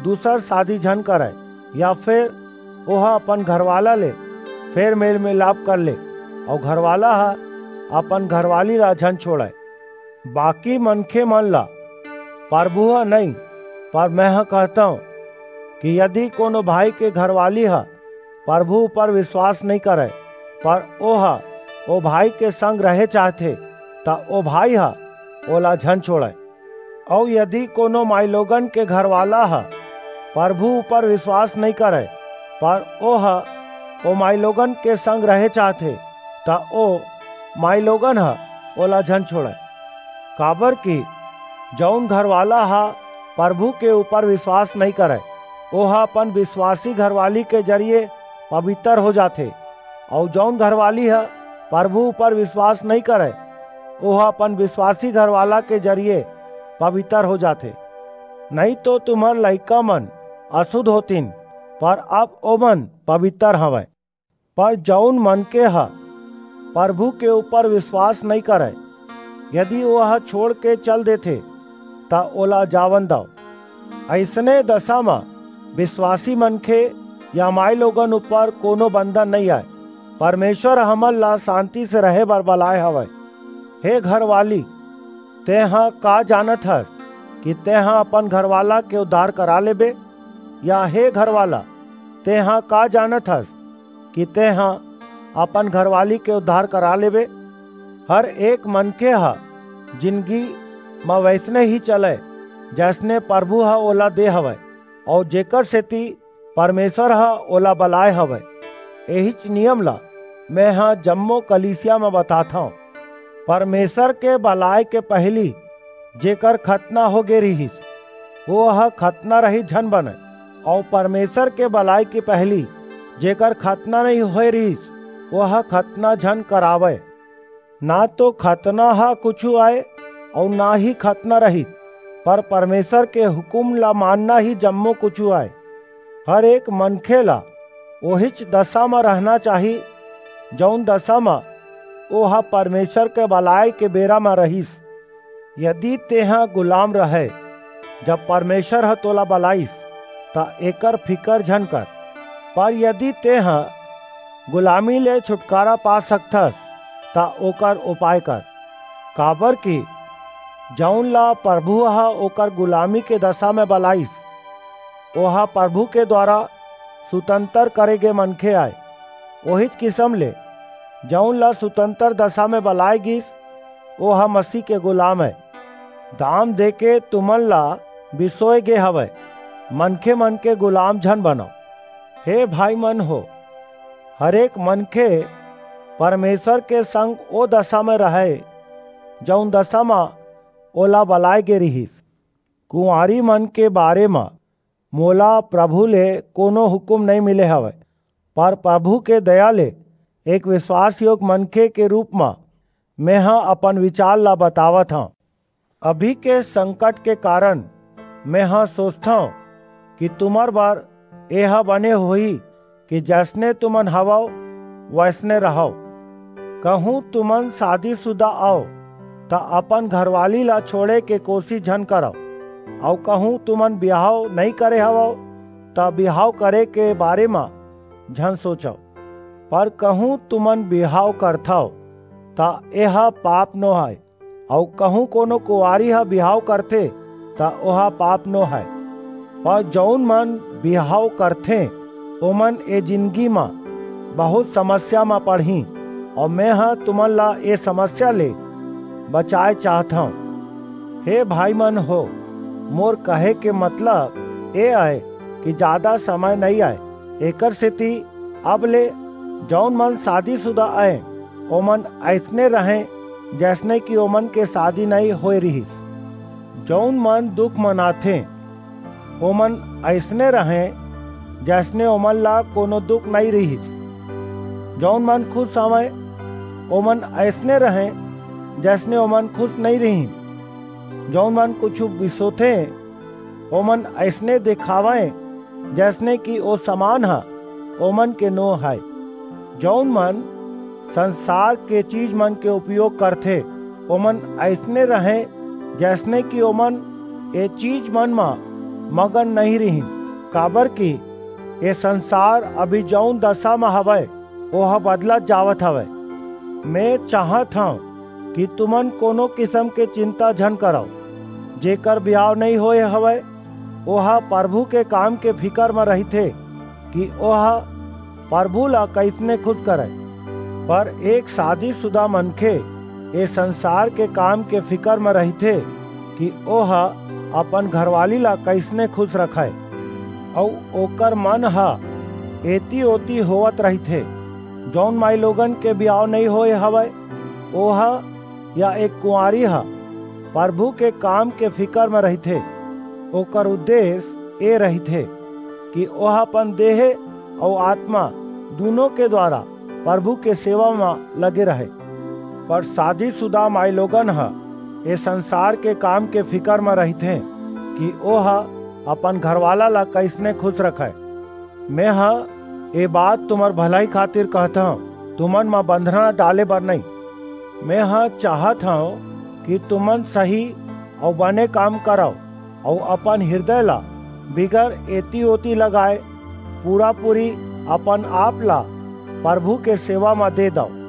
दूसर शादी झन करय, या फेर ओह अपन घरवाला ले फेर मेल मिलाप कर ले, अऊ घरवाला ह अपन घरवाली ला झन छोड़य। बाकी मनखे मन ला परभू ह नहीं, पर मेंह कहथंव कि यदि कोनो भाई के घरवाली ह परभू ऊपर विश्वास नहीं करय, पर ओह ओ भाई के संग रहे चाहथे, त ओ भाई ह ओला झन छोड़य। अऊ यदि कोनो माईलोगन के घरवाला ह परभू ऊपर विश्वास नहीं करय, पर ओह ओ माईलोगन के संग रहे चाहथे, त ओ माईलोगन ह ओला झन छोड़य। काबर कि जऊन घरवाला ह परभू के ऊपर विश्वास नहीं करय, ओह अपन विश्वासी घरवाली के जरिये पबितर हो जाथे, अऊ जऊन घरवाली ह परभू ऊपर विश्वास नहीं करय, ओह अपन विश्वासी घरवाला के जरिये पबितर हो जाथे। नहीं तो तुम्हर लइका मन असुद्ध होतिन, पर अब ओमन पबितर हवंय। पर जऊन मनखे ह परभू के ऊपर विश्वास नहीं करय, यदि ओह छोड़ के चल देथे, त ओला जावन दव। अइसने दशा म विश्वासी मनखे या माईलोगन ऊपर कोनो बंधन नहीं आय। परमेश्वर हमन ला शांति से रहे बर बलाय हवय। हे घरवाली, तेंह का जानत हस कि तेंह अपन घरवाला के उद्धार करा लेबे? या हे घरवाला, तेंह का जानत हस कि तेंह अपन घरवाली के उद्धार करा लेबे? हर एक मनखे ह जिनगी म वइसने ही चलय, जइसने परभू ह ओला दे हवय, अऊ जेकर सेती परमेश्वर ह ओला बलाय हवय। एहीच नियम ला मेंह जम्मो कलीसिया म बताथंव। परमेश्वर के बलाय के पहिली जेकर खतना हो गे रिहिस, ओह खतना रहित झन बनय, अऊ परमेश्वर के बलाय के पहिली जेकर खतना नहीं होय रिहिस, ओह खतना झन करावय। ना तो खतना ह कुछू आय, अऊ ना ही खतना रहित, पर परमेश्वर के हुकुम ला मानना ही जम्मो कुछू आय। हर एक मनखे ला ओहीच दशा म रहना चाही, जऊन दशा म ओह परमेश्वर के बलाय के बेरा म रहिस। यदि तेंह गुलाम रहय, जब परमेश्वर ह तोला बलाइस, त एकर फिकर झन कर। पर यदि तेंह गुलामी ले छुटकारा पा सकथस, त ओकर उपाय कर। काबर कि जऊन ला परभू ह ओकर गुलामी के दशा म बलाइस, ओह परभू के दुवारा सुतंतर करे गे मनखे आय। ओहीच किसम ले जऊन ला सुतंतर दशा म बलाय गिस, ओह मसीह के गुलाम अय। दाम देके तुमन ला बिसोय गे हवय, मनखे मन के गुलाम झन बनव। हे भाई मन हो, हरेक मनखे परमेश्वर के संग ओ दशा म रहय, जऊन दशा म ओला बलाय गे रिहिस। कुंवारी मन के बारे म मोला प्रभु ले कोनो हुकूम नइं मिले हवय, पर प्रभु के दया ले एक विश्वास योग्य मनखे के रूप म मेंह अपन विचार ला बतावत हंव। अभी के संकट के कारण मेंह सोचथंव कि तुमर बर एह बने होही कि जइसने तुमन हवव, वइसने रहव। कहूं तुमन शादीशुदा अव, त अपन घरवाली ला छोड़े के कोशिश झन करव, अऊ कहूं तुमन बिहाव नइं करे हवव, त बिहाव करे के बारे म झन सोचव। पर कहूं तुमन बिहाव करथव, त एह पाप नो हय, अऊ कहूं कोनो कुंवारी ह बिहाव करथे, त ओह पाप नो हय। पर जऊन मन बिहाव करथें, ओमन ए जिनगी म बहुत समस्या म पड़हीं, अऊ मेंह तुमन ला ए समस्या ले बचाय चाहत हंव। हे भाई मन हो, मोर कहे के मतलब ए अय कि जादा समय नइं अय, एकर सेति अब ले जऊन मन शादीशुदा अय, ओमन अइसने रहंय, जइसने कि ओमन के शादी नइं होय रिहिस। जऊन मन दुख मनाथें, ओमन अइसने रहें, जइसने ओमन ला कोनो दुख नइं रिहिस। जऊन मन खुस हवंय, ओमन अइसने रहें, जइसने ओमन खुस नइं रिहिन। जऊन मन कुछू बिसोथें, ओमन अइसने देखावंय, जइसने कि ओ समान ह ओमन के नो हय। जऊन मन संसार के चीजमन के उपयोग करथें, ओमन अइसने रहें, जइसने कि ओमन ए चीजमन म मगन नइं रिहिन, काबरकि ए संसार अभी जऊन दसा म हवय, ओह बदलत जावत हवय। मैं चाहत हंव कि तुमन कोनो किसम के चिंता झन करव। जेकर बिहाव नइं होय हवय, ओह परभू के काम के फिकर म रहिथे कि ओह परभू ला कइसने खुस करय। पर एक सादीसुदा मनखे ए संसार के काम के फिकर म रहिथे कि ओह अपन घरवाली ला कइसने खुस रखय, अऊ ओकर मन ह एती-ओती होवत रहिथे। जऊन माईलोगन के बिहाव नइं होय हवय, ओह या एक कुंवारी ह परभू के काम के फिकर म रहिथे। ओकर उद्देस ए रहिथे कि ओह अपन देह अऊ आतमा दूनों के दुवारा परभू के सेवा म लगे रहय। पर सादीसुदा माईलोगन ह ए संसार के काम के फिकर म रहिथें कि ओह अपन घरवाला ला कइसने खुस रखय। मेंह ए बात तुम्हर भलई खातिर कहत हंव, तुमन म बंधना डाले बर नइं। मेंह चाहत हंव कि तुमन सही अऊ बने काम करव अऊ अपन हिरदय ला बिगर एती-ओती लगाय पूरा-पूरी अपन-आप ला परभू के सेवा म दे दव।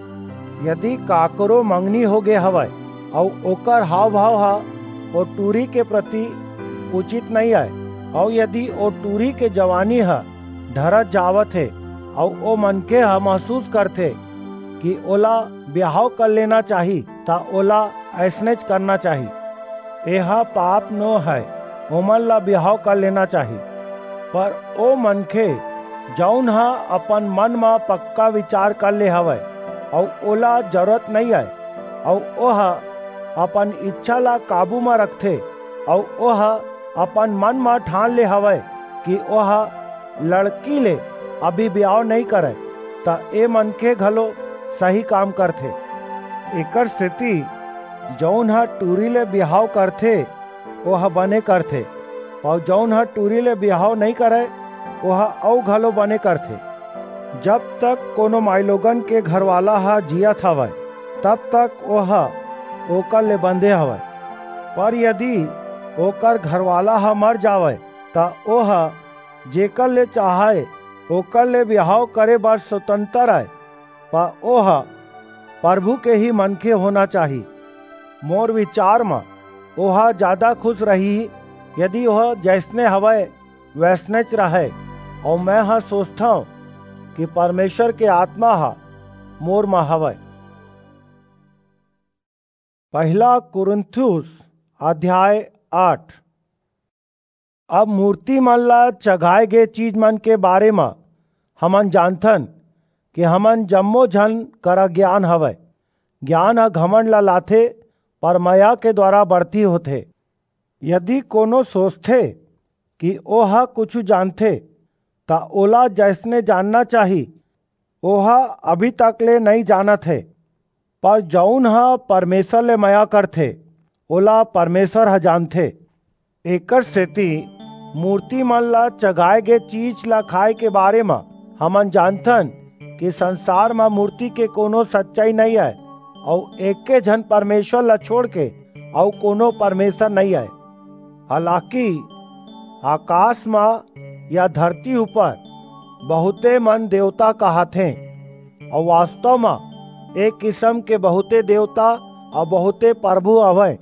यदि काकरो मंगनी होगे हवय अऊ ओकर हाव-भाव ह ओ टूरी के प्रति उचित नइं अय, अऊ यदि ओ टूरी के जवानी ह ढरत जावत हे, अऊ ओ मनखे ह महसूस करथे कि ओला बिहाव कर लेना चाही, त ओला अइसनेच करना चाही। एह पाप नो हय, ओमन ला बिहाव कर लेना चाही। पर ओ मनखे, जऊन ह अपन मन म पक्का बिचार कर ले हवय, अऊ ओला जरूरत नइं अय, अऊ ओह अपन इच्छा ला काबू म रखथे, अऊ ओह अपन मन म ठान ले हवय कि ओह लड़की ले अभी बिहाव नइं करय, त ए मनखे घलो सही काम करथे। एकरसेति जऊन ह टूरी ले बिहाव करथे, ओह बने करथे, अऊ जऊन ह टूरी ले बिहाव नइं करय, ओह अऊ घलो बने करथे। जब तक कोनो माईलोगन के घरवाला ह जीयत हवय, तब तक ओह ओकर ले बंधे हवय। पर यदि ओकर घरवाला ह मर जावय, त ओह जेकर ले चाहय, ओकर ले बिहाव करे बर स्वतंत्र अय, पर ओह परभू के ही मनखे होना चाही। मोर बिचार म ओह जादा खुस रहिही, यदि ओह जइसने हवय, वइसनेच रहय, अऊ मेंह सोचथंव कि परमेसर के आतमा ह मोर म हवय। पहिला कुरिन्थुस अध्याय आठ। अब मूरतीमन ला चघाय गे चीजमन के बारे म हमन जानथन कि हमन जम्मो झन करा गियान हवय। गियान ह घमंड ला लाथे, पर मया के दुवारा बढ़ती होथे। यदि कोनो सोचथे कि ओह कुछू जानथे, त ओला जइसने जानना चाही, ओह अभी तक ले नइं जानत हे। पर जऊन ह परमेसर ले मया करथे, ओला परमेसर ह जानथे। एकरसेति मूरतीमन ला चघाय गे चीज ला खाय के बारे म हमन जानथन कि संसार म मूरती के कोनो सच्चई नइं अय, अऊ एके झन परमेसर ला छोंड़के अऊ कोनो परमेसर नइं अय। हालाकि अकास म या धरती ऊपर बहुंते मन देवता कहाथें, अऊ वास्तव म एक किसम के बहुंते देवता अऊ बहुंते परभू हवंय,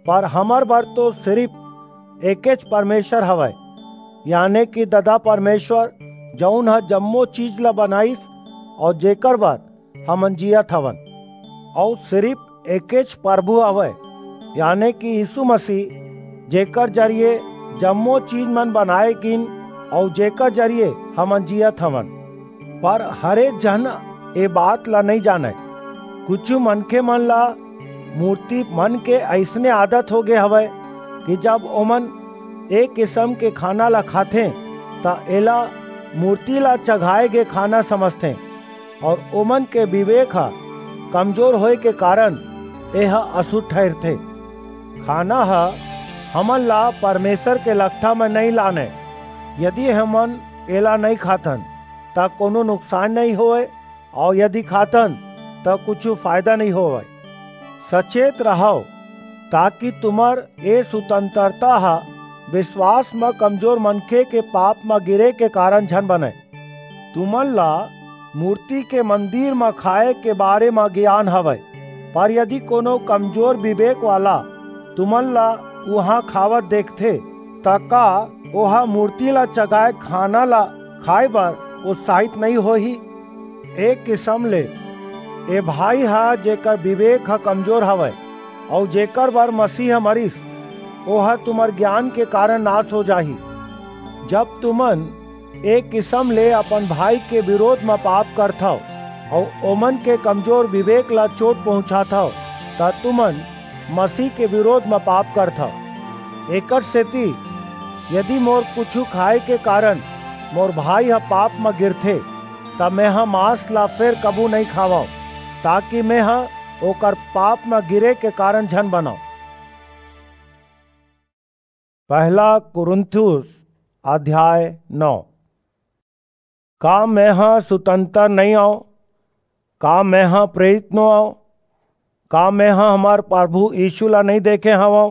पर हमर बर तो सिरिप एकेच परमेसर हवय, याने कि ददा परमेसर, जऊन ह जम्मो चीज ला बनाईस अऊ जेकर बर हमन जीयत हवन। अऊ सिरिप एकेच परभू हवय, याने कि यीसू मसीह, जेकर जरिये जम्मो चीजमन बनाय गीन अऊ जेकर जरिये हमन जीयत हवन। पर हरेक झन ए बात ला नइं जानय। कुछू मनखेमन ला मूरतीमन के अइसने आदत होगे हवय कि जब ओमन ए किसम के खाना ला खाथें, त एला मूर्ति ला चघाए गे खाना समझथें, अऊ ओमन के बिबेक ह कमजोर होय के कारन एह असुद्ध ठहिरथे। खाना ह हमन ला परमेसर के लकठा म नइं लानय। यदि हमन एला नइं खाथन, त कोनो नुकसान नइं होवय, अऊ यदि खाथन, त कुछू फायदा नइं होवय। सचेत रहव, ताकि तुम्हर ए सुतंतरता ह बिसवास म कमजोर मनखे के पाप म गिरे के कारन झन बनय। तुमन ला मूर्ति के मंदिर म खाय के बारे म गियान हवय, पर यदि कोनो कमजोर बिबेक वाला तुमन ला उहां खावत देखथे, त का ओह मूर्ति ला चघाय खाना ला खाय बर उत्साहित नइं होही? ए किसम ले ए भाई ह, जेकर बिबेक ह कमजोर हवय, अऊ जेकर बर मसीह ह मरिस, ओह तुम्हर गियान के कारन नास हो जाही। जब तुमन ए किसम ले अपन भाई के बिरोध म पाप करथव, अऊ ओमन के कमजोर बिबेक ला चोट पहुंचाथव, त तुमन मसीह के बिरोध म पाप करथव। एकरसेति यदि मोर कुछू खाय के कारन मोर भाई ह पाप म गिरथे, त मेंह मांस ला फेर कभू नइं खावंव, ताकि मेंह ओकर पाप म गिरे के कारन झन बनंव। पहला कुरिन्थुस अध्याय नौ। का मेंह सुतंतर नइं अंव? का मेंह प्रेरित नो अंव? का मेंह हमर परभू यीसू ला नइं देखे हवंव?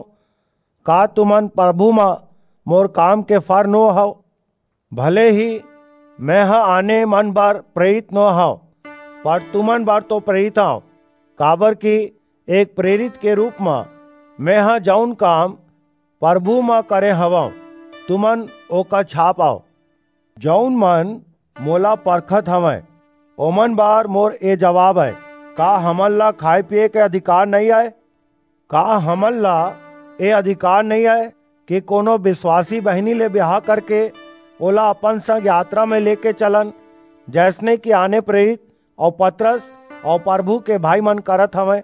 का तुमन परभू म मोर काम के फर नो हव? भले ही मेंह आने मन बर प्रेरित नो हंव, पर तुमन बर तो प्रेरित हंव, काबरकि एक प्रेरित के रूप म मेंह जऊन काम परभू म करे हवंव, तुमन ओकर छाप अंव। जऊन मन मोला परखत हवंय, ओमन बर मोर ए जबाब अय, का हमन ला खाय-पीये के अधिकार नइं अय? का हमन ला ए अधिकार नइं अय कि कोनो बिसवासी बहिनी ले बिहाव करके ओला अपन संग यात्रा म लेके चलन, जइसने कि आने प्रेरित अऊ पतरस अऊ परभू के भाईमन करत हवंय?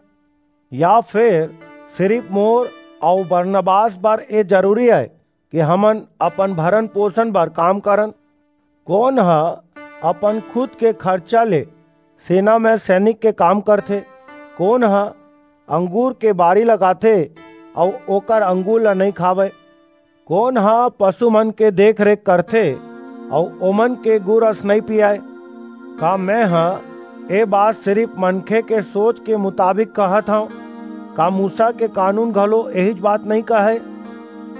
या फेर सिरिप मोर अऊ बरनबास बर ए जरूरी अय कि हमन अपन भरण-पोसण बर काम करन? कोन ह अपन खुद के खरचा ले सेना म सैनिक के काम करथे? कोन ह अंगूर के बारी लगाथे अऊ ओकर अंगूर ला नइं खावय? कोन ह पसु मन के देख-रेख करथे अऊ ओमन के गुरस नइं पियाय? का मेंह ए बात सिरिप मनखे के सोच के मुताबिक कहत हंव? का मूसा के कानून घलो एहीच बात नइं कहय?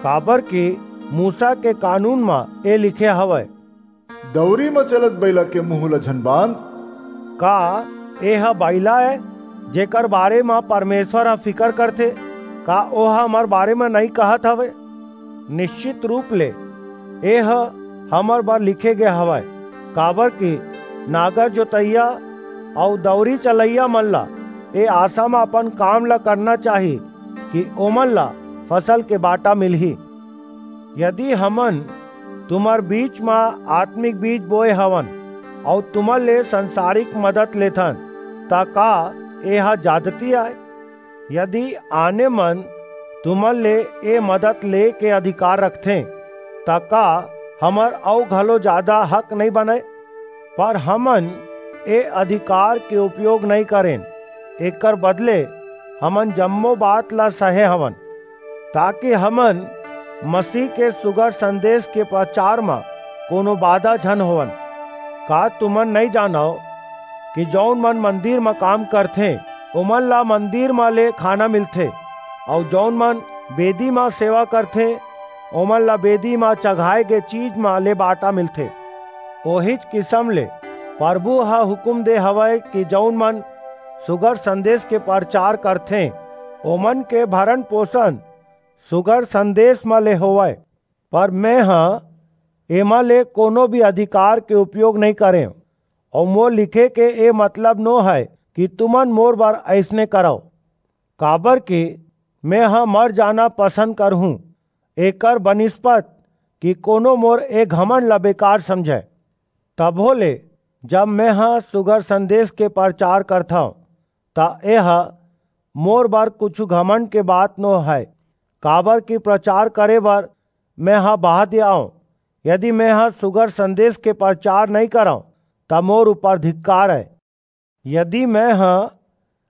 काबरकि मूसा के कानून म ए लिखे हवय, दौरी म चलत बइला के मुहूं ल झन बांध। का एह बइला ए, जेकर बारे म परमेसर ह फिकर करथे? का ओह हमर बारे म नइं कहत हवय? निस्चित रूप ले एह हमर बर लिखे गे हवय, काबरकि नागर जोतइया अऊ दौरी चलइया मन ला ए आसा म अपन काम ला करना चाही कि ओमन ला फसल के बांटा मिलही। यदि हमन तुम्हर बीच म आतमिक बीज बोय हवन अऊ तुमन ले संसारिक मदद लेथन, त का एह जादती अय? यदि आने मन तुमन ले ए मदद ले के अधिकार रखथें, त का हमर अऊ घलो जादा हक नइं बनय? पर हमन ए अधिकार के उपयोग नइं करेन, एकर बदले हमन जम्मो बात ला सहे हवन, ताकि हमन मसीह के सुघर संदेस के परचार म कोनो बाधा झन होवन। का तुमन नइं जानव कि जऊन मन मंदिर म काम करथें, ओमन ला मंदिर म ले खाना मिलथे, अऊ जऊन मन बेदी म सेवा करथें, ओमन ला बेदी म चघाय गे चीज म ले बांटा मिलथे? ओहीच किसम ले परभू ह हुकूम दे हवय कि जऊन मन सुघर संदेस के परचार करथें, ओमन के भरण-पोसण सुघर संदेस म ले होवय। पर मेंह एमा ले कोनो भी अधिकार के उपयोग नइं करेंव, अऊ मोर लिखे के ए मतलब नो हय कि तुमन मोर बर अइसने करव। काबरकि मेंह मर जाना पसंद करहूं, एकर बनिस्पत कि कोनो मोर ए घमंड ला बेकार समझय। तभो ले जब मेंह सुघर संदेस के परचार करथंव, त एह मोर बर कुछू घमंड के बात नो हय, काबरकि परचार करे बर मेंह बहा दियावंव। यदि मेंह सुघर संदेस के परचार नइं करंव, त मोर ऊपर धिक्कार अय। यदि मेंह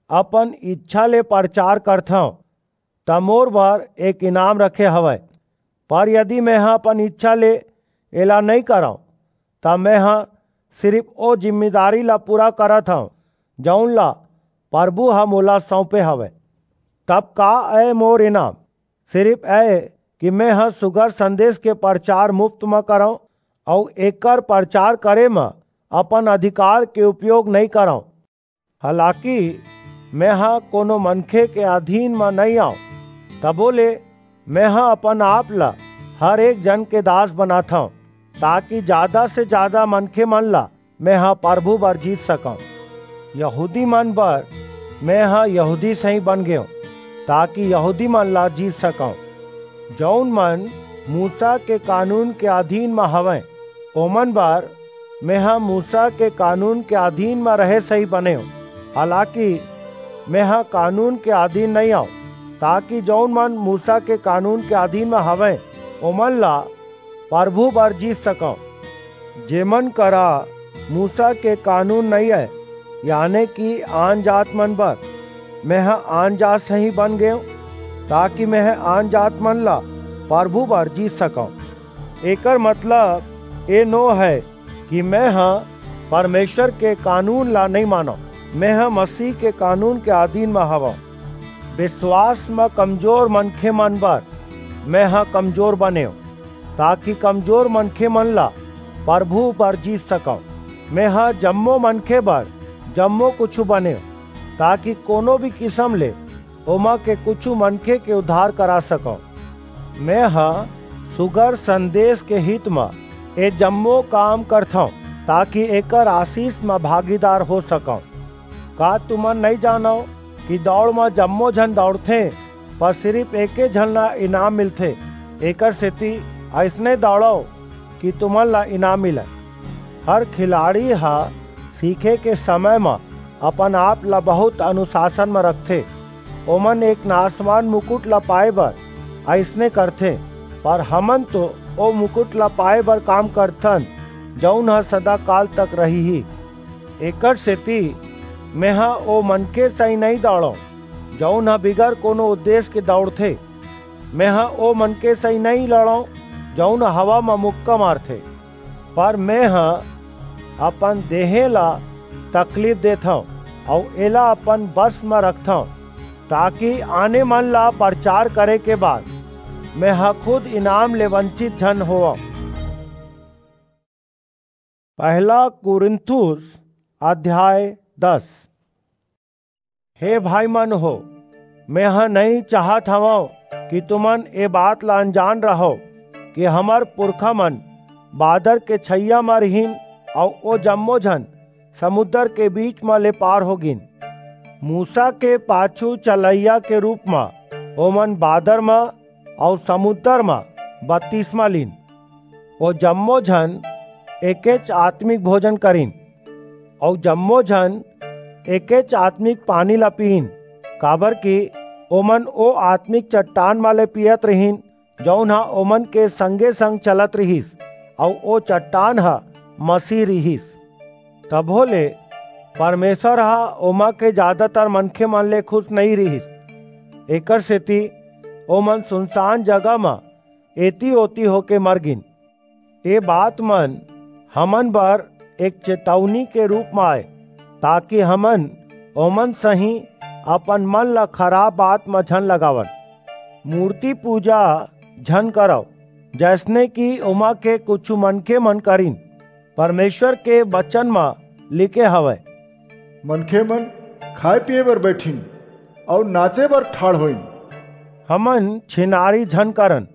अपन ईछा ले परचार करथंव, त मोर बर एक इनाम रखे हवय। पर यदि मेंह अपन ईछा ले एला नइं करंव, त मेंह सिरिप ओ जिम्मेदारी ला पूरा करत हंव, जऊन ला परभू ह मोला सऊंपे हवय। तब का अय मोर इनाम? सिरिप अय कि मेंह सुघर संदेस के परचार मुफ्त म करंव अऊ एकर परचार करे म अपन अधिकार के उपयोग नइं करंव। हालाकि मेंह कोनो मनखे के अधीन म नइं अंव, तभो ले मेंह अपन आप ला हर एक झन के दास बनाथंव, ताकि जादा से जादा मनखेमन ला मेंह परभू बर जीत सकंव। यहूदीमन बर मेंह यहूदी सहीं बन गेंव, ताकि यहूदीमन ला जीत सकंव। जऊन मन मूसा के कानून के अधीन म हवंय, ओमन बर मेंह मूसा के कानून के अधीन म रहे सहीं बनेंव, हालाकि मेंह कानून के अधीन नइं अंव, ताकि जऊन मन मूसा के कानून के अधीन म हवंय, ओमन ला परभू बर जीत सकंव। जेमन करा मूसा के कानून नइं अय, याने कि आनजातमन बर, मेंह आनजात सहीं बन गेंव, ताकि मेंह आनजातमन ला परभू बर जीत सकंव। एकर मतलब ए नो हय कि मेंह परमेसर के कानून ला नइं मानंव, मेंह मसीह के कानून के अधीन म हवंव। बिसवास म कमजोर मनखेमन बर मेंह कमजोर बनेंव, ताकि कमजोर मनखेमन ला परभू बर जीत सकंव। मेंह जम्मो मनखे बर जम्मो कुछू बनेंव, ताकि कोनो भी किसम ले ओमा के कुछू मनखे के उद्धार करा सकंव। मेंह सुघर संदेस के हित म ए जम्मो काम करथंव, ताकि एकर आसीस म भागीदार हो सकंव। का तुमन नइं जानव कि दऊड़ म जम्मो झन दऊड़थें, पर सिरिप एके झन ला इनाम मिलथे? एकरसेति अइसने दऊड़व कि तुमन ला इनाम मिलय। हर खिलाड़ी ह सीखे के समय म अपन आप ला बहुंत अनुसासन म रखथे। ओमन एक नासवान मुकुट ला पाय बर अइसने करथें, पर हमन तो ओ मुकुट ला पाय बर काम करथन, जऊन ह सदाकाल तक रहिही। एकरसेति मेंह ओ मनखे सहीं नइं दऊड़ंव, जऊन ह बिगर कोनो उद्देस के दऊड़थे। मेंह ओ मनखे सहीं नइं लड़ंव, जऊन ह हवा म मुक्का मारथे। पर मेंह अपन देहें ला तकलीफ देथंव अऊ एला अपन बस म रखथंव, ताकि आने मन ला परचार करे के बाद मेंह खुद इनाम ले वंचित झन होवंव। पहला कुरिन्थुस अध्याय दस। हे भाईमन हो, मेंह नइं चाहत हवंव कि तुमन ए बात ला अनजान रहव कि हमर पुरखामन बादर के छइहां म रिहिन अऊ ओ जम्मो झन समुंदर के बीच म ले पार हो गीन। मूसा के पाछू चलइया के रूप म ओमन बादर म अऊ समुंदर म बतिसमा लीन। ओ जम्मो झन एकेच आतमिक भोजन करिन, अऊ जम्मो झन एकेच आतमिक पानी ला पीन, काबरकि ओमन ओ आतमिक चट्टान म ले पीयत रिहिन, जऊन ह ओमन के संगे-संग चलत रिहिस, अऊ ओ चट्टान ह मसीह रिहिस। तभो ले परमेसर ह ओमा के जादातर मनखेमन ले खुस नइं रिहिस। एकरसेति ओमन सुनसान जगह म एती-ओती होके मर गीन। ए बातमन हमन बर एक चेतउनी के रूप म अय, ताकि हमन ओमन सहीं अपन मन ला खराप बात म झन लगावन। मूरती पूजा झन करव, जइसने कि ओमा के कुछू मनखेमन करिन। परमेसर के बचन म लिखे हवय, मनखेमन खाय-पीये बर बईठिन अऊ नाचे बर ठाढ़ होइन। हमन छिनारी झन करन,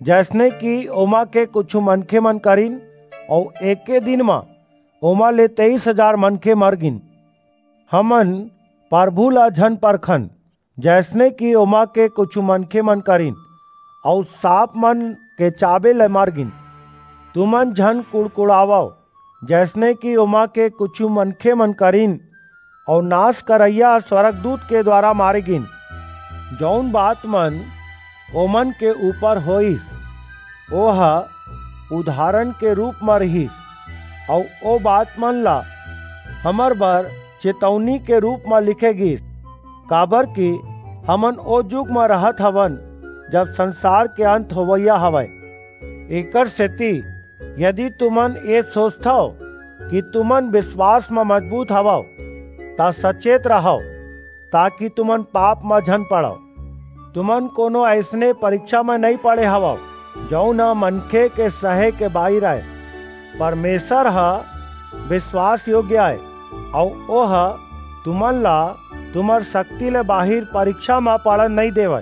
जइसने कि ओमा के कुछू मनखेमन करिन, अऊ एके दिन म ओमा ले तेईस हजार मनखे मर गीन। हमन परभू ला झन परखन, जइसने कि ओमा के कुछू मनखेमन करिन, अऊ सांपमन के चाबे ले मर गीन। तुमन झन कुड़कुड़ावव, जइसने कि ओमा के कुछू मनखेमन करिन, अऊ नास करइया स्वरगदूत के दुवारा मारे गीन। जऊन बातमन ओमन के ऊपर होईस, ओह उदाहरण के रूप म रिहिस, अऊ ओ बात मन ला हमर बर चेतौनी के रूप म लिखे गिस, काबर कि हमन ओ जुग म रहत हवन, जब संसार के अंत होवइया हवय। एकर सेती यदि तुमन ये सोचथव कि तुमन विश्वास म मजबूत हवव, त सचेत रहव, ताकि तुमन पाप म झन पड़व। तुमन कोनो अइसने परीक्षा म नइं पड़े हवव, जऊन ह मनखे के सहे के बाहिर अय। परमेसर ह विश्वास योग्य अय, अऊ ओह तुमन ला तुम्हर सक्ति ले बाहिर परीक्षा म पड़न नइं देवय।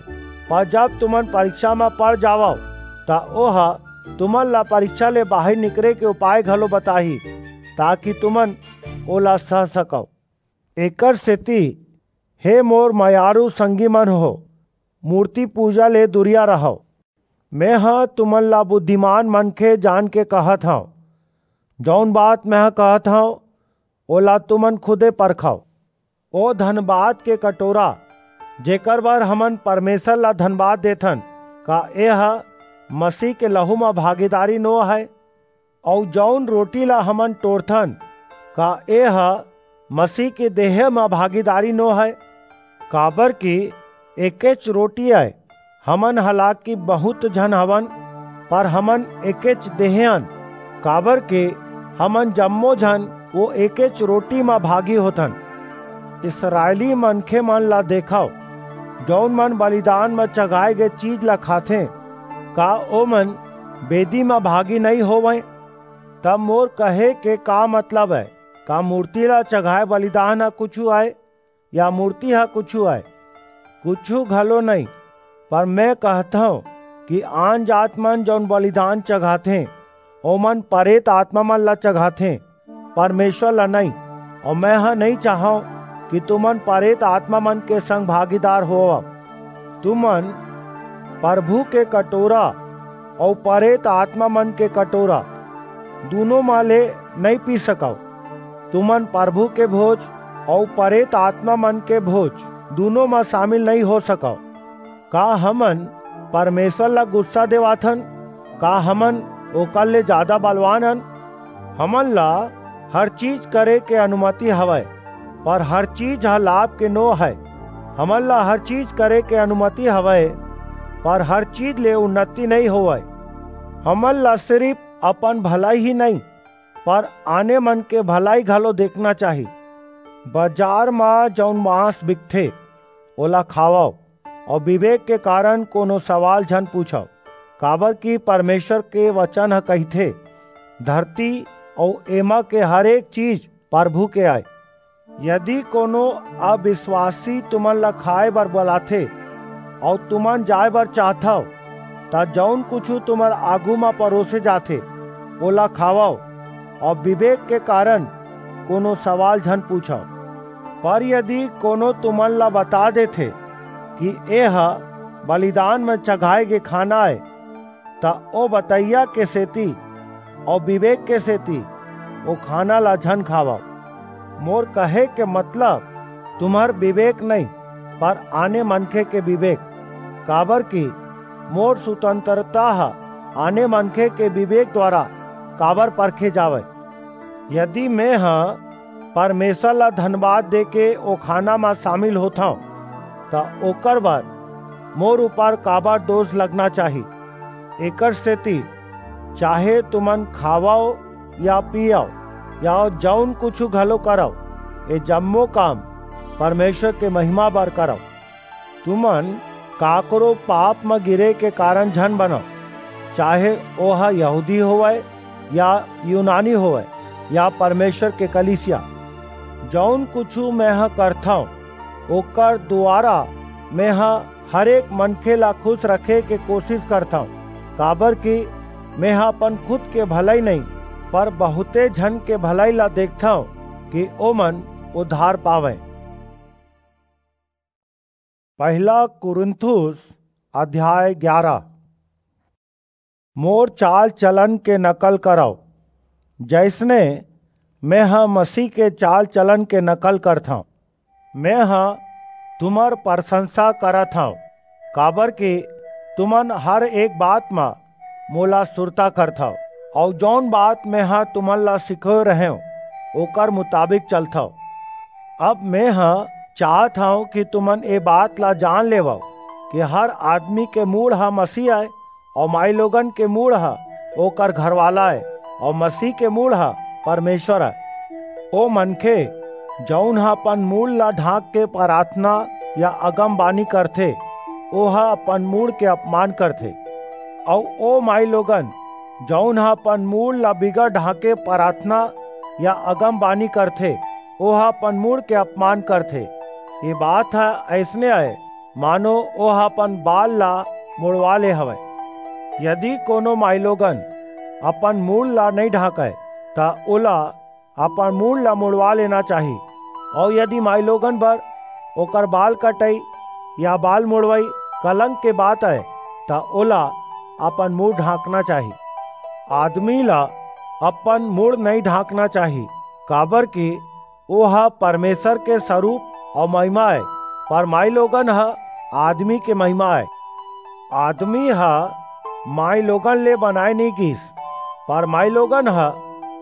पर जब तुमन परीक्षा म पड़ जावव, त ओह तुमन ला परीक्षा ले बाहिर निकरे के उपाय घलो बताही, ताकि तुमन ओला सह सकव। एकर सेती, हे मोर मयारू संगी मन हो, मूर्ति पूजा ले दूरिया रहव। मेंह तुमन ला बुद्धिमान मनखे जान के कहत हंव। जऊन बात मेंह कहत हंव, ओला तुमन खुदे परखव। ओ धनबाद के कटोरा, जेकर बर हमन परमेसर ला धनबाद देथन, का एह मसीह के लहू म भागीदारी नो हय? अऊ जऊन रोटी ला हमन टोरथन, का एह मसीह के देह म भागीदारी नो हय? काबर कि एकेच रोटी अय। हमन हालाकि बहुंत झन हवन, पर हमन एकेच देह अन, काबर कि हमन जम्मो झन ओ एकेच रोटी म भागी होथन। इसरायली मनखे मन ला देखव, जऊन मन बलिदान म चघाए गे चीज ला खाथें, का ओमन बेदी म भागी नइं होवंय? तब मोर कहे के का मतलब अय? का मूर्ति ला चघाए बलिदान ह कुछू अय, या मूर्ति ह कुछू अय? कुछू घलो नइं। पर मैं कहथंव कि आन जात मन जऊन बलिदान चघाथें, ओमन परेत आत्मा मन ला चघाथें, परमेसर ला नइं। अऊ मैं ह नइं चाहंव कि तुमन परेत आत्मा मन के संग भागीदार होवव। तुमन परभू के कटोरा अऊ परेत आत्मा मन के कटोरा दूनों म ले नइं पी सकव। तुमन परभू के भोज अऊ परेत आत्मा मन के भोज दूनों म सामिल नइं हो सकव। का हमन परमेसर ला गुस्सा देवाथन? का हमन ओकर ले जादा बलवान अन? हमन ला हर चीज करे के अनुमति हवय, पर हर चीज ह लाभ के नो हय। हमन ला हर चीज करे के अनुमति हवय, पर हर चीज ले उन्नति नइं होवय। हमन ला सिरिप अपन भलई ही नइं, पर आने मन के भलई घलो देखना चाही। बजार म जऊन मांस बिकथे, ओला खावव, अऊ बिबेक के कारन कोनो सवाल झन पूछव, काबर कि परमेसर के बचन ह कहिथे, "धरती अऊ एमा के हरेक चीज परभू के अय।" यदि कोनो अबिसवासी तुमन ला खाय बर बलाथे अऊ तुमन जाय बर चाहथव, त जऊन कुछू तुमर आघू म परोसे जाथे, ओला खावव अऊ बिबेक के कारन कोनो सवाल झन पूछव। पर यदि कोनो तुमन ला बता देथे कि एह बलिदान म चघाय गे खाना अय, त ओ बतइया के सेती अऊ बिबेक के सेती ओ खाना ला झन खावव। मोर कहे के मतलब तुम्हर बिबेक नइं, पर आने मनखे के बिबेक, काबर कि मोर सुतंतरता ह आने मनखे के बिबेक दुवारा काबर परखे जावय। यदि मेंह परमेसर ला धनबाद देके ओ खाना म सामिल होथंव, त ओकर बर मोर ऊपर काबर दोस लगना चाही? एकर सेती चाहे तुमन खावव या पीयव या जऊन कुछू घलो करव, ए जम्मो काम परमेसर के महिमा बर करव। तुमन काकरो पाप म गिरे के कारन झन बनव, चाहे ओह यहूदी होवय या यूनानी होवय या परमेसर के कलीसिया। जऊन कुछू मेंह करथंव, ओकर दुवारा मेंह हरेक मनखे ला खुस रखे के कोसिस करथंव, काबर कि मेंह अपन खुद के भलई नइं, पर बहुंते झन के भलई ला देखथंव कि ओमन उद्धार पावंय। पहला कुरिन्थुस अध्याय ग्यारा। मोर चाल-चलन के नकल करव, जइसने मेंह मसीह के चाल-चलन के नकल करथंव। मेंह तुम्हर परसंसा करत हंव, काबरकि तुमन हर एक बात म मोला सुरता करथव, अऊ जऊन बात मेंह तुमन ला सिखोय रहेंव, ओकर मुताबिक चलथव। अब मेंह चाहत हंव कि तुमन ए बात ला जान लेवव कि हर आदमी के मूड़ ह मसीह अय, अऊ माईलोगन के मूड़ ह ओकर घरवाला अय, अऊ मसीह के मूड़ ह परमेसर अय। ओ मनखे, जऊन ह अपन मूड़ ला ढांक के पराथना या अगमबानी करथे, ओह अपन मूड़ के अपमान करथे। अऊ ओ माईलोगन, जऊन ह अपन मूड़ ला बिगर ढांके पराथना या अगमबानी करथे, ओह अपन मूड़ के अपमान करथे। ए बात ह अइसने अय, मानो ओह अपन बाल ला मुड़वा ले हवय। यदि कोनो माईलोगन अपन मूड़ ला नइं ढांकय, त ओला अपन मूड़ ला मुड़वा लेना चाही। अऊ यदि माईलोगन बर ओकर बाल कटई या बाल मुड़वई कलंक के बात अय, त ओला अपन मूड़ ढांकना चाही। आदमी ला अपन मूड़ नइं ढांकना चाही, काबरकि ओह परमेसर के सरूप अऊ महिमा अय, पर माईलोगन ह आदमी के महिमा अय। आदमी ह माईलोगन ले बनाय नइं गीस, पर माईलोगन ह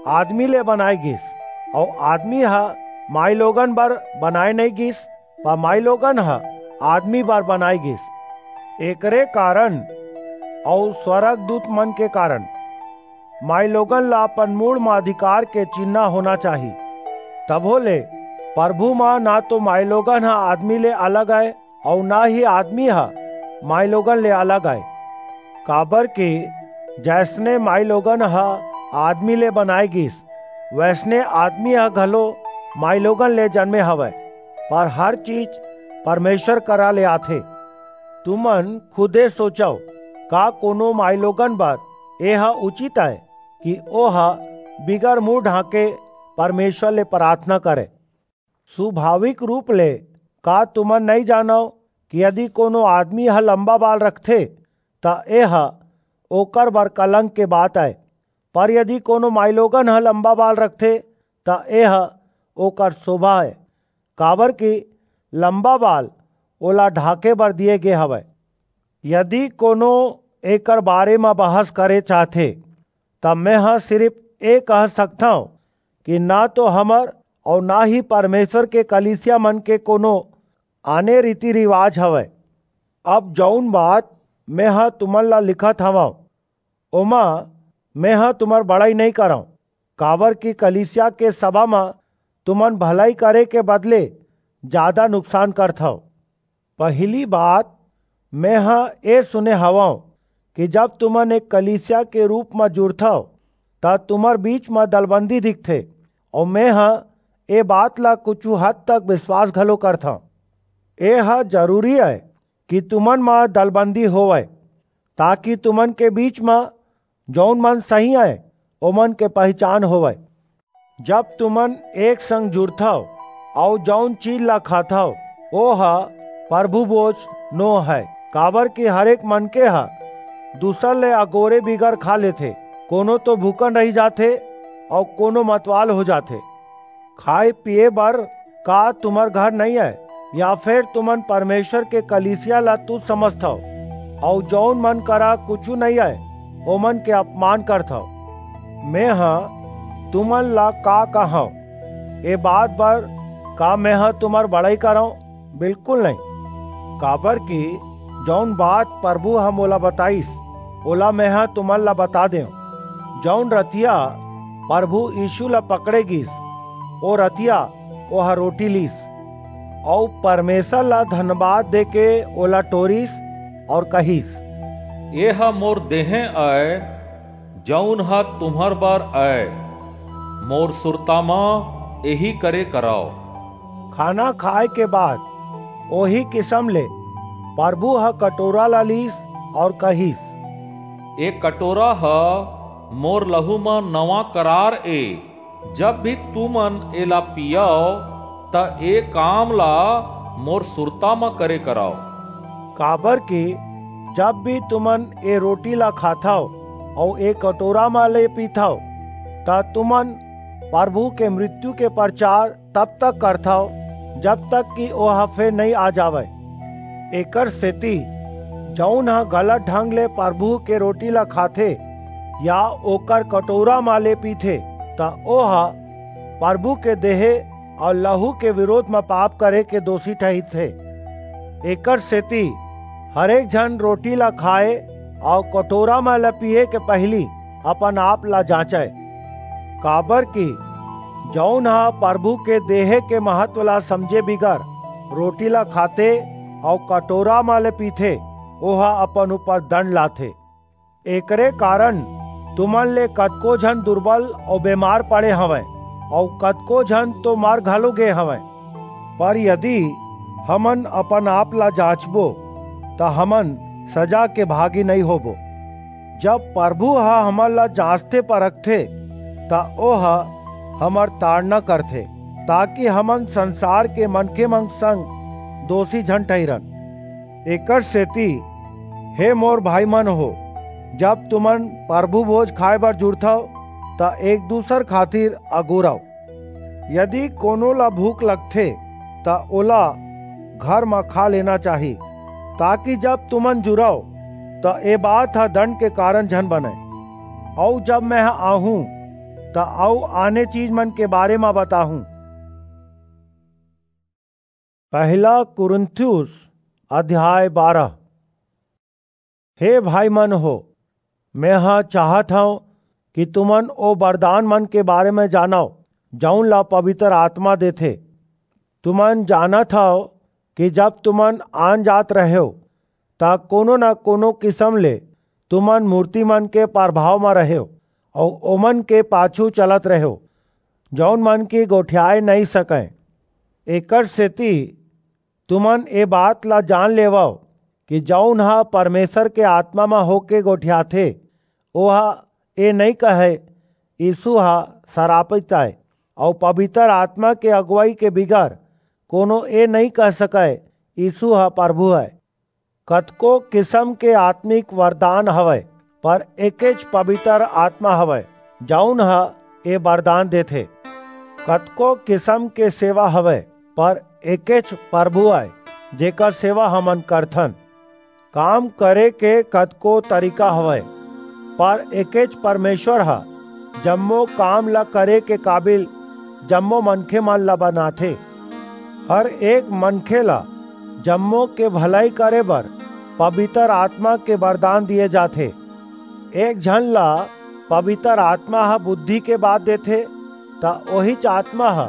आदमी ले बनाय गीस, अऊ आदमी ह माईलोगन बर बनाय नइं गीस, पर माईलोगन ह आदमी बर बनाय गीस। एकरे कारन अऊ स्वरगदूतमन के कारन माईलोगन ला अपन मूड़ म अधिकार के चिन्हां होना चाही। तभो ले परभू म न तो माईलोगन ह आदमी ले अलग अय, अऊ न ही आदमी ह माईलोगन ले अलग अय। काबरकि जइसने माईलोगन ह आदमी ले बनाय गीस, वइसने आदमी ह घलो माईलोगन ले जनमे हवय, पर हर चीज परमेसर करा ले आथे। तुमन खुदे सोचव, का कोनो माईलोगन बर एह उचित अय कि ओह बिगर मूड़ ढांके परमेसर ले पराथना करय? सुभाविक रूप ले का तुमन नइं जानव कि यदि कोनो आदमी ह लंबा बाल रखथे, त एह ओकर बर कलंक के बात अय, पर यदि कोनो माईलोगन ह लंबा बाल रखथे, त एह ओकर सोभा अय, काबरकि लंबा बाल ओला ढांके बर दिये गे हवय। यदि कोनो एकर बारे म बहस करे चाहथे, त मेंह सिरिप ए कह सकथंव कि न तो हमर अऊ न ही परमेसर के कलीसियामन के कोनो आने रीति-रिवाज हवय। अब जऊन बात मेंह तुमन ला लिखत हवंव, ओमा मेंह तुमर बड़ई नइं करंव, काबरकि कलीसिया के सभा म तुमन भलई करे के बदले जादा नुकसान करथव। पहिली बात, मेंह ए सुने हवंव कि जब तुमन एक कलीसिया के रूप म जुरथव, त तुमर बीच म दलबंदी दिखथे, अऊ मेंह ए बात ला कुछू हद तक बिसवास घलो करथंव। एह जरूरी अय कि तुमन म दलबंदी होवय, ताकि तुमन के बीच म जऊन मन सही अंय, ओमन के पहिचान होवय। जब तुमन एक संग जुरथव अऊ जऊन चीज ला खाथव, ओह परभू भोज नोहय, काबरकि हरेक मनखे ह दूसर ले अगोरे बिगर खा लेथे, कोनो तो भूखन रहि जाथे अऊ कोनो मतवाल हो जाथे। खाय-पीये बर का तुमर घर नइं अय? या फेर तुमन परमेसर के कलीसिया ला तुछ समझथव, अऊ जऊन मन करा कुछू नइं अय, ओमन के अपमान करथव? मेंह तुमन ला का कहंव? ए बात बर का मेंह तुमर बड़ई करंव? बिलकुल नइं, काबरकि जऊन बात परभू ह मोला बताईस, ओला मेंह तुमन ला बता देंव। जऊन रतिहा परभू यीसू ला पकड़े गीस, ओ रतिहा ओह रोटी लीस, अऊ परमेसर ला धनबाद देके ओला टोरिस अऊ कहिस, "एह मोर देहें अय, जऊन ह तुम्हर बर अय, मोर सुरता म एही करे करव।" खाना खाय के बाद ओही किसम ले परभू ह कटोरा ला लीस अऊ कहिस, "ए कटोरा ह मोर लहू म नवा करार ए। जब भी तुमन एला पीयव, त ए काम ला मोर सुरता म करे करव।" काबरकि जब भी तुमन ए रोटी ला खाथव अऊ ए कटोरा म ले पीथव, त तुमन परभू के मृत्यु के परचार तब तक करथव, जब तक कि ओह फेर नइं आ जावय। एकरसेति जऊन ह गलत ढंग ले परभू के रोटी ला खाथे या ओकर कटोरा म ले पीथे, त ओह परभू के देहे अऊ लहू के बिरोध म पाप करे के दोसी ठहिरथे। एकरसेति हरेक झन रोटी ला खाए अऊ कटोरा म ले पीये के पहिली अपन-आप ला जांचय, काबरकि जऊन ह परभू के देहे के महत्व ला समझे बिगर रोटी ला खाथे अऊ कटोरा म ले पीथे, ओह अपन ऊपर दंड लाथे। एकरे कारन तुमन ले कतको झन दुरबल अऊ बेमार पड़े हवंय, अऊ कतको झन तो मर घलो गे हवंय। पर यदि हमन अपन-आप ला जांचबो, त हमन सजा के भागी नइं होबो। जब परभू ह हमन ला जांचथे-परखथे, त ओह हमर ताड़ना करथे, ताकि हमन संसार के मनखेमन संग दोसी झन ठहिरन। एकरसेति हे मोर भाईमन हो, जब तुमन परभू भोज खाय बर जुरथव, त एक-दूसर खातिर अगोरव। यदि कोनो ला भूख लगथे, त ओला घर म खा लेना चाही, ताकि जब तुमन जुरव, त ए बात ह दंड के कारन झन बनय। अऊ जब मेंह आहूं, त अऊ आने चीजमन के बारे म बताहूं। पहिला कुरिन्थियुस अध्याय बारह। हे भाईमन हो, मेंह चाहत हंव कि तुमन ओ बरदानमन के बारे म जानव, जऊन ला पबितर आतमा देथे। तुमन जानत हव कि जब तुमन आनजात रहेव, त कोनो न कोनो किसम ले तुमन मूरतीमन के परभाव म रहेव अऊ ओमन के पाछू चलत रहेव, जऊन मन के गोठियाय नइं सकंय। एकरसेति तुमन ए बात ला जान लेवव कि जऊन ह परमेसर के आतमा म होके गोठियाथे, ओह ए नइं कहय, "यीसू ह सरापित अय," अऊ पबितर आतमा के अगुवई के बिगर कोनो ए नइं कह सकय, "यीसू ह परभू अय।" कतको किसम के आतमिक बरदान हवय, पर एकेच पबितर आतमा हवय, जऊन ह ए बरदान देथे। कतको किसम के सेवा हवय, पर एकेच परभू अय, जेकर सेवा हमन करथन। काम करे के कतको तरीका हवय, पर एकेच परमेसर ह जम्मो काम ल करे के काबिल जम्मो मनखेमन ल बनाथे। हर एक मनखे ल जम्मो के भलई करे बर पबितर आतमा के बरदान दिये जाथे। एक झन ल पबितर आतमा ह बुद्धि के बात देथे, त ओहीच आतमा ह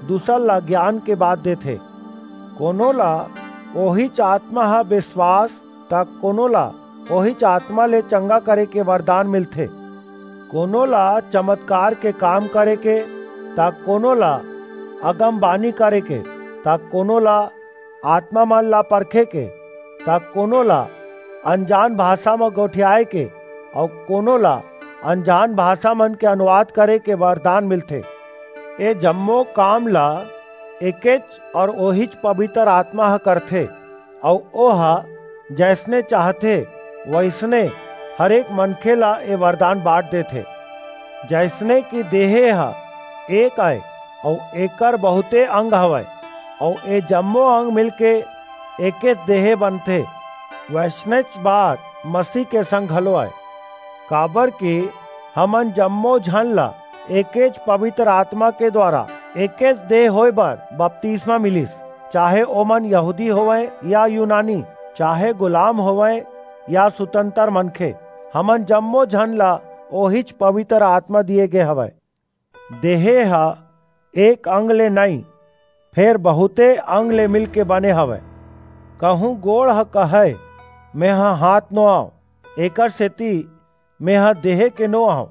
दूसर ल गियान के बात देथे। कोनो ल ओहीच आतमा ह बिसवास, त कोनो ल ओहीच आतमा ले चंगा करे के बरदान मिलथे। कोनो ल चमतकार के काम करे के, त कोनो ल अगमबानी करे के, त कोनो ल आतमामन ल परखे के, त कोनो ल अनजान भासा म गोठियाय के, अऊ कोनो ल अनजान भासामन के अनुवाद करे के बरदान मिलथे। ए जम्मो काम ल एकेच अऊ ओहीच पबितर आतमा ह करथे, अऊ ओह जइसने चाहथे, वइसने हरेक मनखे ल ए बरदान बांट देथे। जइसने कि देहे ह एक अय, अऊ एकर बहुंते अंग हवय, अऊ ए जम्मो अंग मिलके एकेच देहे बनथे, वइसनेच बात मसीह के संग घलो अय। काबरकि हमन जम्मो झन ल एकेच पबितर आतमा के दुवारा एकेच देह होय बर बतिसमा मिलिस, चाहे ओमन यहूदी होवंय या यूनानी, चाहे गुलाम होवंय या सुतंतर मनखे, हमन जम्मो झन ल ओहीच पबितर आतमा दिये गे हवय। देहे ह एक अंग ले नइं, फेर बहुंते अंग ले मिलके बने हवय। कहूं गोड़ ह कहय, "मेंह हांथ नो अंव, एकरसेति मेंह देहे के नो अंव,"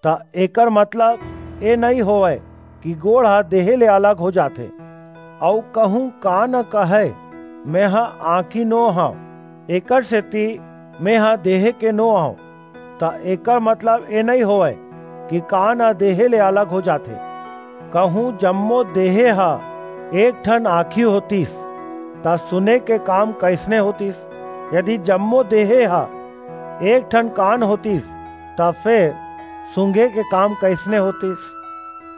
त एकर मतलब ए नइं होवय कि गोड़ ह देहे ले अलग हो जाथे। अऊ कहूं कान ह कहय, "मेंह आंखी नो हंव, एकरसेति मेंह देहे के नो अंव," त एकर मतलब ए नइं होवय कि कान ह देहे ले अलग हो जाथे। कहूं जम्मो देहे ह एक ठन आंखी होतिस, त सुने के काम कइसने होतिस? यदि जम्मो देहे ह एक ठन कान होतिस, त फेर सूंघे के काम कइसने होतिस?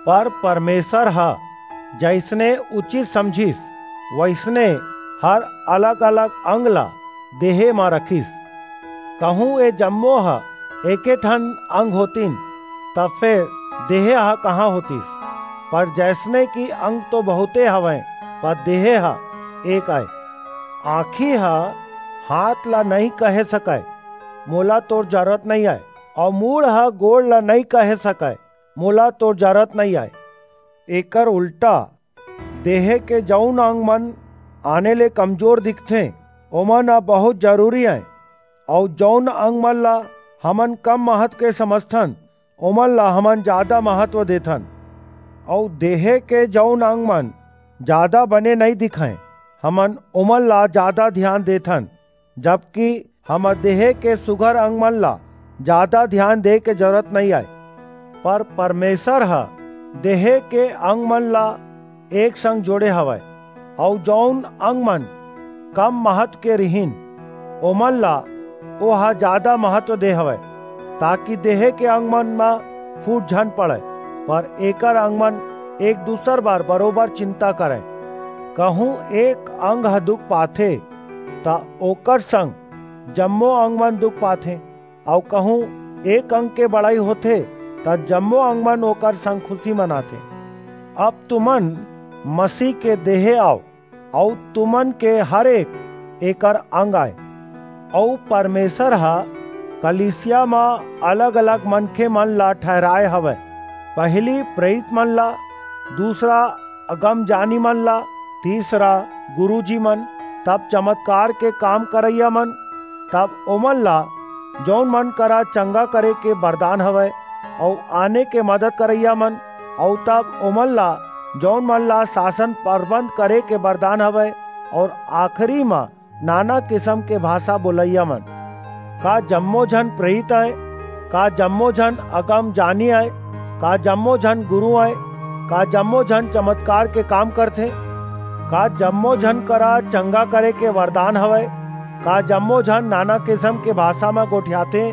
पर परमेसर ह जइसने उचित समझिस, वइसने हर अलग-अलग अंग ला देहे म रखिस। कहूं ए जम्मो ह एके ठन अंग होतिन, त फेर देहे ह कहां होतिस? पर जैसने कि अंग तो बहुते हवंय, पर देहे ह एक अय। आंखी ह हाथ ला नइं कहे सकय, "मोला तोर जरूरत नइं अय," अऊ मूड़ ह गोड़ ला नइं कहे सकय, "मोला तोर जरूरत नइं अय।" एकर उल्टा, देहे के जऊन अंग मन आने ले कमजोर दिखथें, ओमन ह बहुत जरूरी अंय, अऊ जऊन अंग मन ला हमन कम महत्व के समझथन, ओमन ला हमन जादा महत्व देथन। अऊ देहे के जऊन अंग मन जादा बने नइं दिखंय, हमन ओमन ला जादा धियान देथन, जबकि हमर देहे के सुघर अंग मन ला जादा धियान दे के जरूरत नइं अय। पर परमेसर ह देहे के अंग मन ला एक संग जोड़े हवय, अऊ जऊन अंग मन कम महत्व के रिहिन, ओमन ला ओह जादा महत्व दे हवय, ताकि देहे के अंग मन म फूट झन पड़य, पर एकर अंग मन एक दूसर बर बरोबर चिंता करंय। कहूं एक अंग ह दुख पाथे, त ओकर संग जम्मो अंग मन दुख पाथें, अऊ कहूं एक अंग के बड़ाई होथे, त जम्मो अंग मन ओकर संग खुसी मनाथें। अब तुमन मसीह के देहे अव, अऊ तुमन के हर एक एकर अंग अय। अऊ परमेसर ह कलीसिया म अलग-अलग मनखे मन ला ठहराय हवय, पहिली प्रेरित मन ला, दूसरा अगमजानी मन ला, तीसरा गुरूजी मन, तब चमतकार के काम करइया मन, तब ओमन ला, जऊन मन करा चंगा करे के बरदान हवय, अऊ आने के मदद करइया मन, अऊ तब ओमन ला, जऊन मन ला सासन परबंध करे के बरदान हवय, अऊ आखिरी म नाना किसम के भासा बोलइया मन। का जम्मो झन प्रेरित अय? का जम्मो झन अगमजानी अय? का जम्मो झन गुरू अय? का जम्मो झन चमतकार के काम करथें? का जम्मो झन करा चंगा करे के वरदान हवय? का जम्मो झन नाना किसम के भासा म गोठियाथें?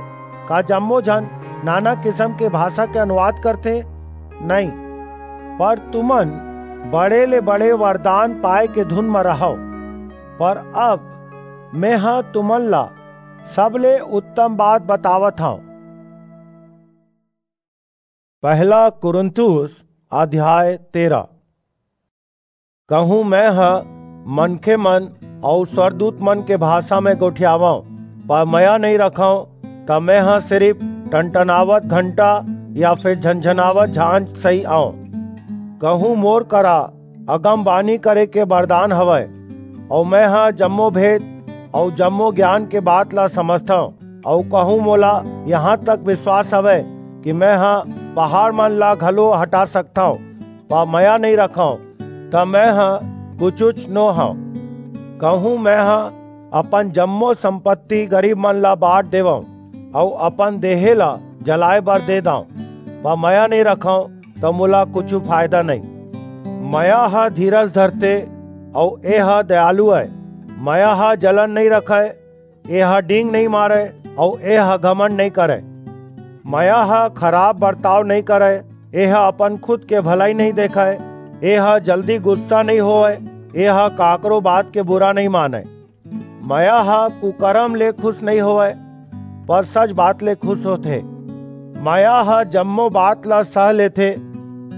का जम्मो झन नाना किसम के भासा के अनुवाद करथें? नइं, पर तुमन बड़े ले बड़े वरदान पाय के धुन म रहव। पर अब मेंह तुमन ला सबले उत्तम बात बतावत हंव। पहला कुरिन्थुस अध्याय तेरह। कहूं मेंह मनखे मन अऊ स्वरदूत मन के भासा म गोठियावंव, पर मया नइं रखंव, त मेंह सिरिप टनटनावत घंटा या फेर झनझनावत झांझ सहीं अंव। कहूं मोर करा अगमबानी करे के बरदान हवय, अऊ मेंह जम्मो भेद अऊ जम्मो ज्ञान के बात ला समझथंव, अऊ कहूं मोला इहां तक बिसवास हवय कि मेंह पहाड़ मन ला घलो हटा सकथंव, पर मया नइं रखंव, त मेंह कुछुच नो हंव। कहूं मेंह अपन जम्मो संपत्ति गरीब मन ला बांट देवंव, अऊ अपन देहे ला जलाय बर दे दंव, पर मया नइं रखंव, त मोला कुछू फायदा नइं। मया ह धीरज धरथे, अऊ एह दयालु अय। मया ह जलन नइं रखय, एह डींग नइं मारय, अऊ एह घमंड नइं करय। मया ह खराप बरताव नइं करय, एह अपन खुद के भलई नइं देखय, एह जल्दी गुस्सा नइं होवय, एह काकरो बात के बुरा नइं मानय। मया ह कुकरम ले खुस नइं होवय, पर सच बात ले खुस होथे। मया ह जम्मो बात ला सह लेथे,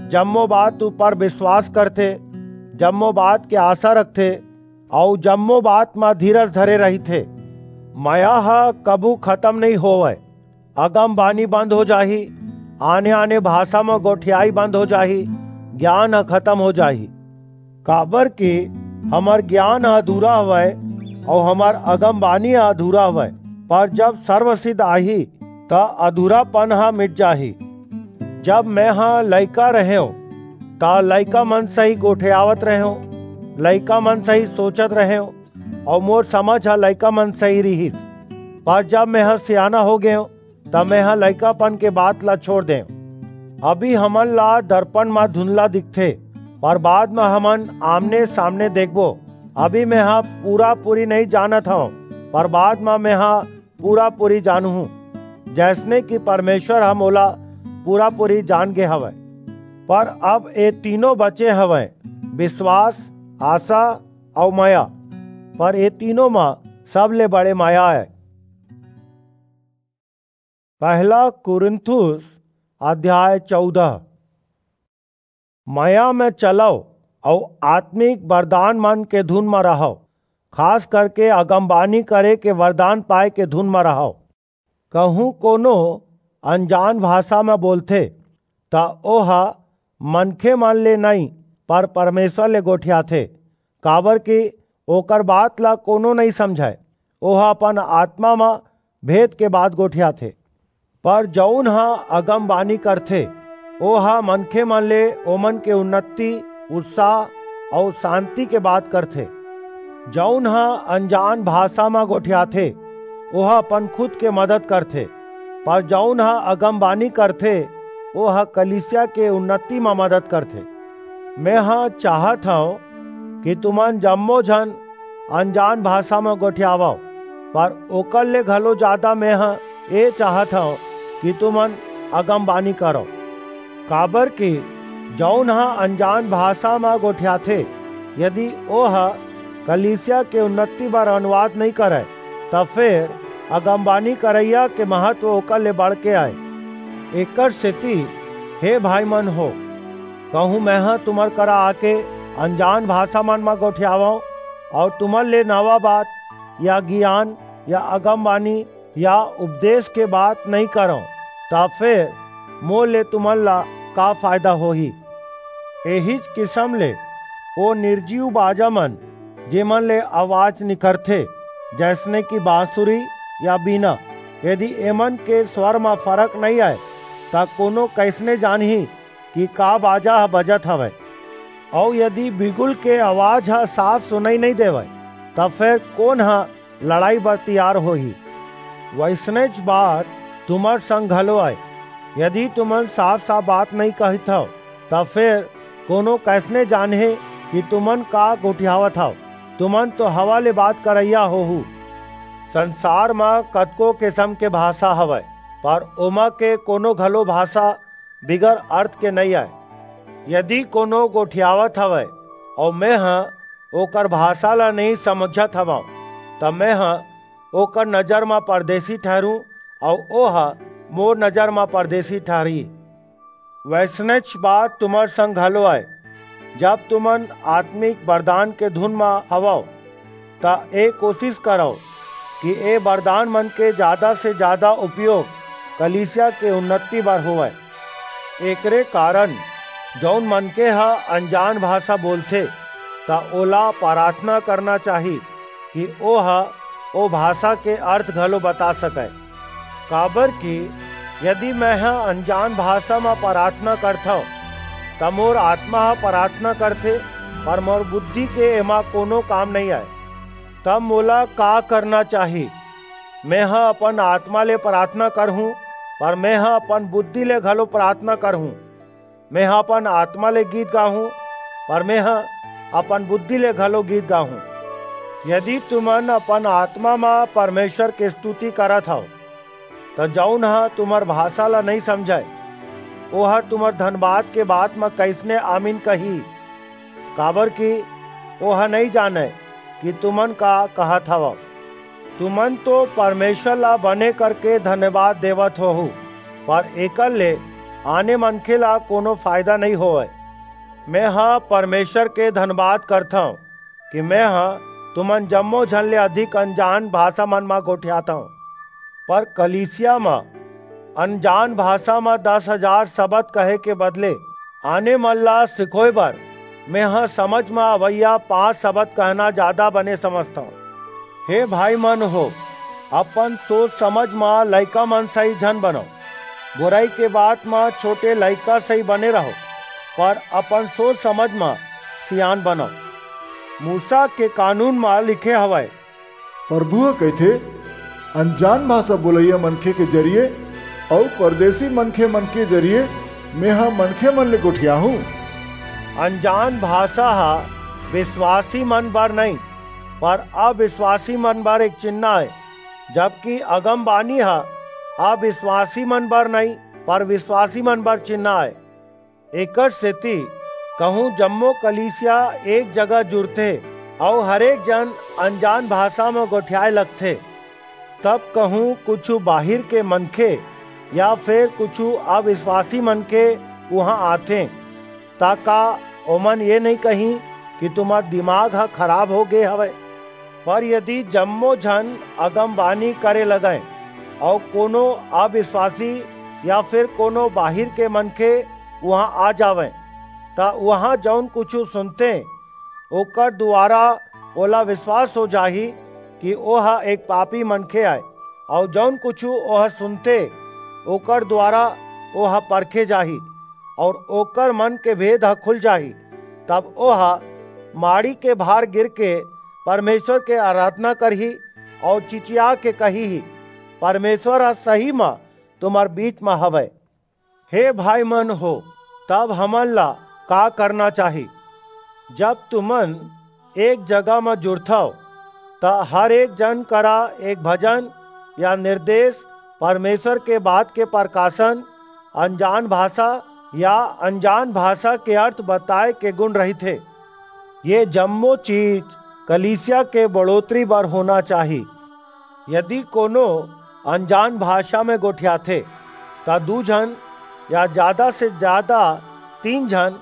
जम्मो बात ऊपर बिसवास करथे, जम्मो बात के आसा रखथे, अऊ जम्मो बात म धीरज धरे रहिथे। मया ह कभू खतम नइं होवय। अगमबानी बंद हो जाही, आने-आने भासा म गोठियाई बंद हो जाही, ज्ञान ह खतम हो जाही। काबर कि हमर ज्ञान ह अधूरा हवय अऊ हमर अगमबानी ह अधूरा हवय, पर जब सर्वसिद्ध आही, त अधूरापन ह मिट जाही। जब मेंह लइका रहेंव, त लइका मन सहीं गोठियावत रहेंव, लइका मन सहीं सोचत रहेंव, अऊ मोर समझ ह लइका मन सहीं रिहिस। पर जब मेंह सियाना हो गेंव, त मेंह लइकापन के बात ला छोड़ देंव। अभी हमन ला दरपन म धुंधला दिखथे, पर बाद म हमन आमने-सामने देखबो। अभी मेंह पूरा-पूरी नइं जानत हंव, पर बाद म मेंह पूरा-पूरी जानहूं, जइसने कि परमेसर ह मोला पूरा-पूरी जान गे हवय। पर अब ए तीनों बचे हवंय, बिसवास, आसा अऊ मया। पर ए तीनों म सबले बड़े मया आय। पहला कुरिन्थुस अध्याय चौदह। मया में चलव अउ आत्मिक वरदान मन के धुन म रहव, खास करके अगमबानी करे के वरदान पाए के धुन म रहव। कहूँ कोनो अनजान भाषा म बोलथे, त ओह मनखे मन ले नई, पर परमेश्वर ले गोठियाथे, काबर कि ओकर बात ला कोनो नई समझय। ओह अपन आत्मा म भेद के बात गोठियाथे। पर जऊन ह अगमबानी करथे, ओह मनखे मन ले ओमन के उन्नति, उत्साह अउ शांति के बात करथे। जऊन ह अनजान भाषा म गोठियाथे, ओह अपन खुद के मदद करथे, पर जऊन ह अगमबानी करथे, ओह कलीसिया के उन्नति म मदद करथे। मेंह चाहत हंव कि तुमन जम्मो झन अनजान भाषा म गोठियावव, पर ओकर ले घलो जादा मेंह ए चाहत हंव कि तुमन अगमबानी करव। काबर कि जऊन ह अनजान भाषा म गोठियाथे, यदि ओह कलीसिया के उन्नति बर अनुवाद नई करय, त फेर अगमबानी करइया के महत्व ओकर ले बढ़ के आय। एकर सेती, हे भाई मन हो, कहूँ मेंह तुमर करा आके अनजान भाषा मन म गोठियावंव, अऊ तुमन ले नवा बात या गियान या अगमबानी या उपदेश के बात नई करंव, त फेर मोर ले तुमन ला का फायदा होही? एहीच किसम ले ओ निर्जीव बाजा मन, जेमन ले आवाज निकरथे, जइसने कि बांसुरी या बीना, यदि एमन के स्वर म फरक नई आय, त कोनो कइसने जानही कि का बाजा ह बजत हवय? अऊ यदि बिगुल के आवाज ह साफ सुनई नई देवय, त फेर कोन ह लड़ाई बर तियार होही? वइसनेच बात तुमर संग घलो अय। यदि तुमन साफ-साफ बात नई कहिथव, त फेर कोनो कइसने जानही कि तुमन का गोठियावत हव? तुमन तो हवा ले बात करइया होहू। संसार म कतको किसम के भाषा हवय, पर ओमा के कोनो घलो भाषा बिगर अर्थ के नई आय। यदि कोनो गोठियावत हवय अऊ मेंह ओकर भाषा ला नई समझत हवंव, त मेंह ओकर नजर म परदेसी ठहरूं अऊ ओह मोर नजर म परदेसी ठहरही। वइसनेच बात तुमर संग घलो अय। जब तुमन आत्मिक वरदान के धुन म हवव, त ए कोसिस करव कि ए वरदान मन के जादा से जादा उपयोग कलीसिया के उन्नति बर होवय। एकरे कारन जऊन मनखे ह अनजान भाषा बोलथे, त ओला पराथना करना चाही कि ओह ओ भाषा के अर्थ घलो बता सकय। काबर कि यदि मेंह अनजान भाषा म पराथना करथंव, त मोर आत्मा ह पराथना करथे, पर मोर बुद्धि के एमा कोनो काम नइ आय। तब मोला का करना चाही? मेंह अपन आत्मा ले पराथना करहूं, पर मेंह अपन बुद्धि ले घलो पराथना करहूं। मेंह अपन आत्मा ले गीत गाहूं, पर मेंह अपन बुद्धि ले घलो गीत गाहूं। यदि तुमन अपन आत्मा म परमेसर के स्तुति करत हव, त जऊन ह तुंहर भासा ल नइं समझय, ओह तुंहर धनबाद के बात म कइसने आमीन कही? काबरकि ओह नइं जानय कि तुमन का कहत हवव। तुमन तो परमेसर ला बने करके धन्यवाद देवत होहू, पर एकर ले आने मनखे ला कोनो फायदा नइं होवय। मेंह परमेसर के धन्यवाद करथंव कि मेंह तुमन जम्मो झन ले अधिक अनजान भासामन म गोठियाथंव। पर कलीसिया म अनजान भासा म दस हजार सबद कहे के बदले आने मन ला सिखोय बर मेंह समझ म अवइया पांच सबद कहना जादा बने समझथंव। हे भाईमन हो, अपन सोच समझ म लइकामन सहीं झन बनव, बुरई के बात म छोटे लइका सहीं बने रहव, पर अपन सोच समझ म सियान बनव। मूसा के कानून म लिखे हवय, परभू ह कहिथे, अनजान भासा बोलइया मनखे के जरिये अऊ परदेसी मनखे मन के जरिये मेंह मनखेमन ले गोठियाहूं। अनजान भासा ह बिसवासीमन बर नइं, पर अबिसवासीमन बर एक चिन्हा अय, जबकि अगमबानी ह अबिसवासीमन बर नइं, पर बिसवासीमन बर चिन्हा अय। एकरसेति कहूं जम्मो कलीसिया एक जगह जुरथे, अऊ हरेक जन अनजान भाषा म गोठियाए लगथे। तब कहूं कुछू बाहिर के मनखे या फेर कुछू अविश्वासी मनखे उहां आथें, त का ओमन ये नइं कहीं कि तुम्हर दिमाग ह खराब हो गे हवय? पर यदि जम्मो झन अगमबानी करे लगंय अऊ कोनो अविश्वासी या फेर कोनो बाहिर के मनखे उहां आ जावंय, त उहां जऊन कुछू सुनथें, ओकर दुवारा ओला बिसवास हो जाही कि ओह एक पापी मनखे अय, अऊ जऊन कुछू ओह सुनथे, ओकर दुवारा ओह परखे जाही, अऊ ओकर मन के भेद ह खुल जाही। तब ओह माड़ी के भार गिरके परमेसर के अराधना करही, अऊ चिचिया के कहिही, "परमेसर ह सही म तुम्हर बीच म हवय।" हे भाईमन हो, तब हमन ला का करना चाही? जब तुमन एक जगह म जुड़थव, त हर एक जन करा एक भजन या निरदेस, परमेसर के बात के परकासन, अनजान भासा या अनजान भासा के अर्थ बताय के गुन रहिथे। ये जम्मो चीज कलीसिया के बढ़ोतरी बर होना चाही। यदि कोनो अनजान भासा म गोठियाथे, त दू झन या जादा से जादा तीन झन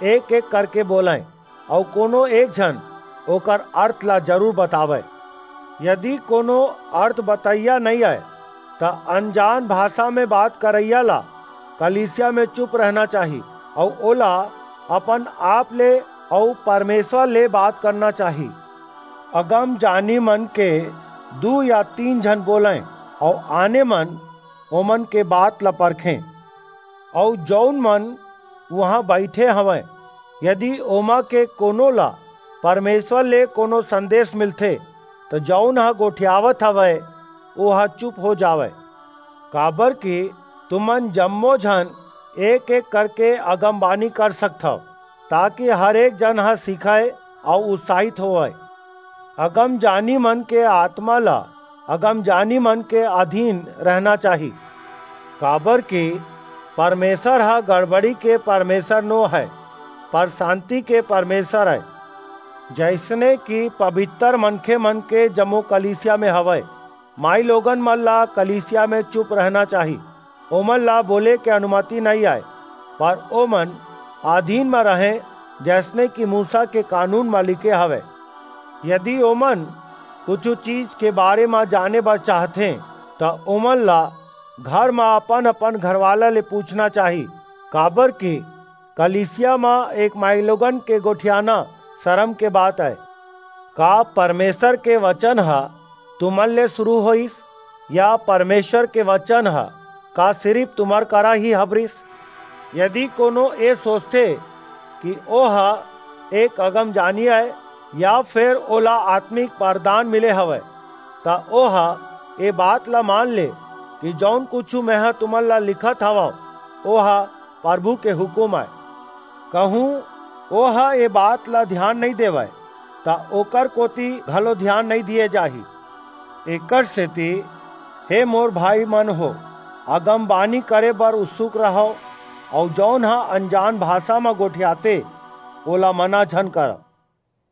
एक-एक करके बोलंय, अऊ कोनो एक झन ओकर अर्थ ला जरूर बतावय। यदि कोनो अर्थ बतइया नइं अय, त अनजान भासा म बात करइया ला कलीसिया म चुप रहना चाही, अऊ ओला अपन आप ले अऊ परमेसर ले बात करना चाही। अगमजानी मन के दू या तीन झन बोलंय, अऊ आने मन ओमन के बात ला परखें। अऊ जऊन मन उहां बईठे हवंय, यदि ओमा के कोनो ला परमेसर ले कोनो संदेस मिलथे, त जऊन ह गोठियावत हवय, ओह चुप हो जावय। काबरकि तुमन जम्मो झन एक-एक करके अगमबानी कर सकथव, ताकि हर एक जन ह सीखय अऊ उत्साहित होवय। अगमजानी मन के आतमा ला अगमजानी मन के अधीन रहना चाही, काबरकि परमेसर ह गड़बड़ी के परमेसर नो हय, पर सांति के परमेसर अय। जइसने कि पबितर मनखे मन के जम्मो कलीसिया म हवय, माईलोगन मन ला कलीसिया म चुप रहना चाही। ओमन ला बोले के अनुमति नइं अय, पर ओमन अधीन म रहंय, जइसने कि मूसा के कानून म लिखे हवय। यदि ओमन कुछू चीज के बारे म जाने बर चाहथें, त ओमन ला घर म अपन-अपन घरवाला ले पूछना चाही, काबरकि कलीसिया म एक माईलोगन के गोठियाना सरम के बात अय। का परमेसर के बचन ह तुमन ले सुरू होईस, या परमेसर के बचन ह का सिरिप तुम्हर करा ही हबरिस? यदि कोनो ए सोचथे कि ओह एक अगमजानी अय, या फेर ओला आतमिक बरदान मिले हवय, त ओह ए बात ला मान ले कि जऊन कुछू मेंह तुमन ला लिखत हवंव, ओह परभू के हुकूम अय। कहूं ओह ए बात ला धियान नइं देवय, त ओकर कोति घलो धियान नइं दिये जाही। एकरसेति, हे मोर भाईमन हो, अगमबानी करे बर उत्सुक रहव, अऊ जऊन ह अनजान भासा म गोठियाथे, ओला मना झन करव,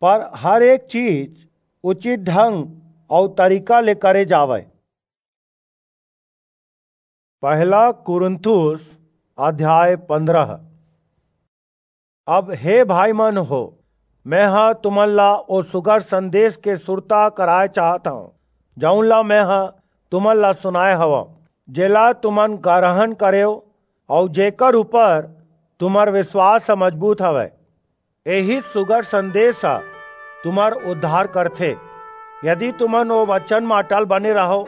पर हर एक चीज उचित ढंग अऊ तरीका ले करे जावय। पहला कुरिन्थुस अध्याय पंद्रह। अब हे भाईमन हो, मेंह तुमन ला ओ सुघर संदेस के सुरता कराय चाहत हंव, जऊन ला मेंह तुमन ला सुनाय हवंव, जेला तुमन गरहन करेव, अऊ जेकर ऊपर तुम्हर बिसवास ह मजबूत हवय। एही सुघर संदेस ह तुम्हर उद्धार करथे, यदि तुमन ओ बचन म अटल बने रहव,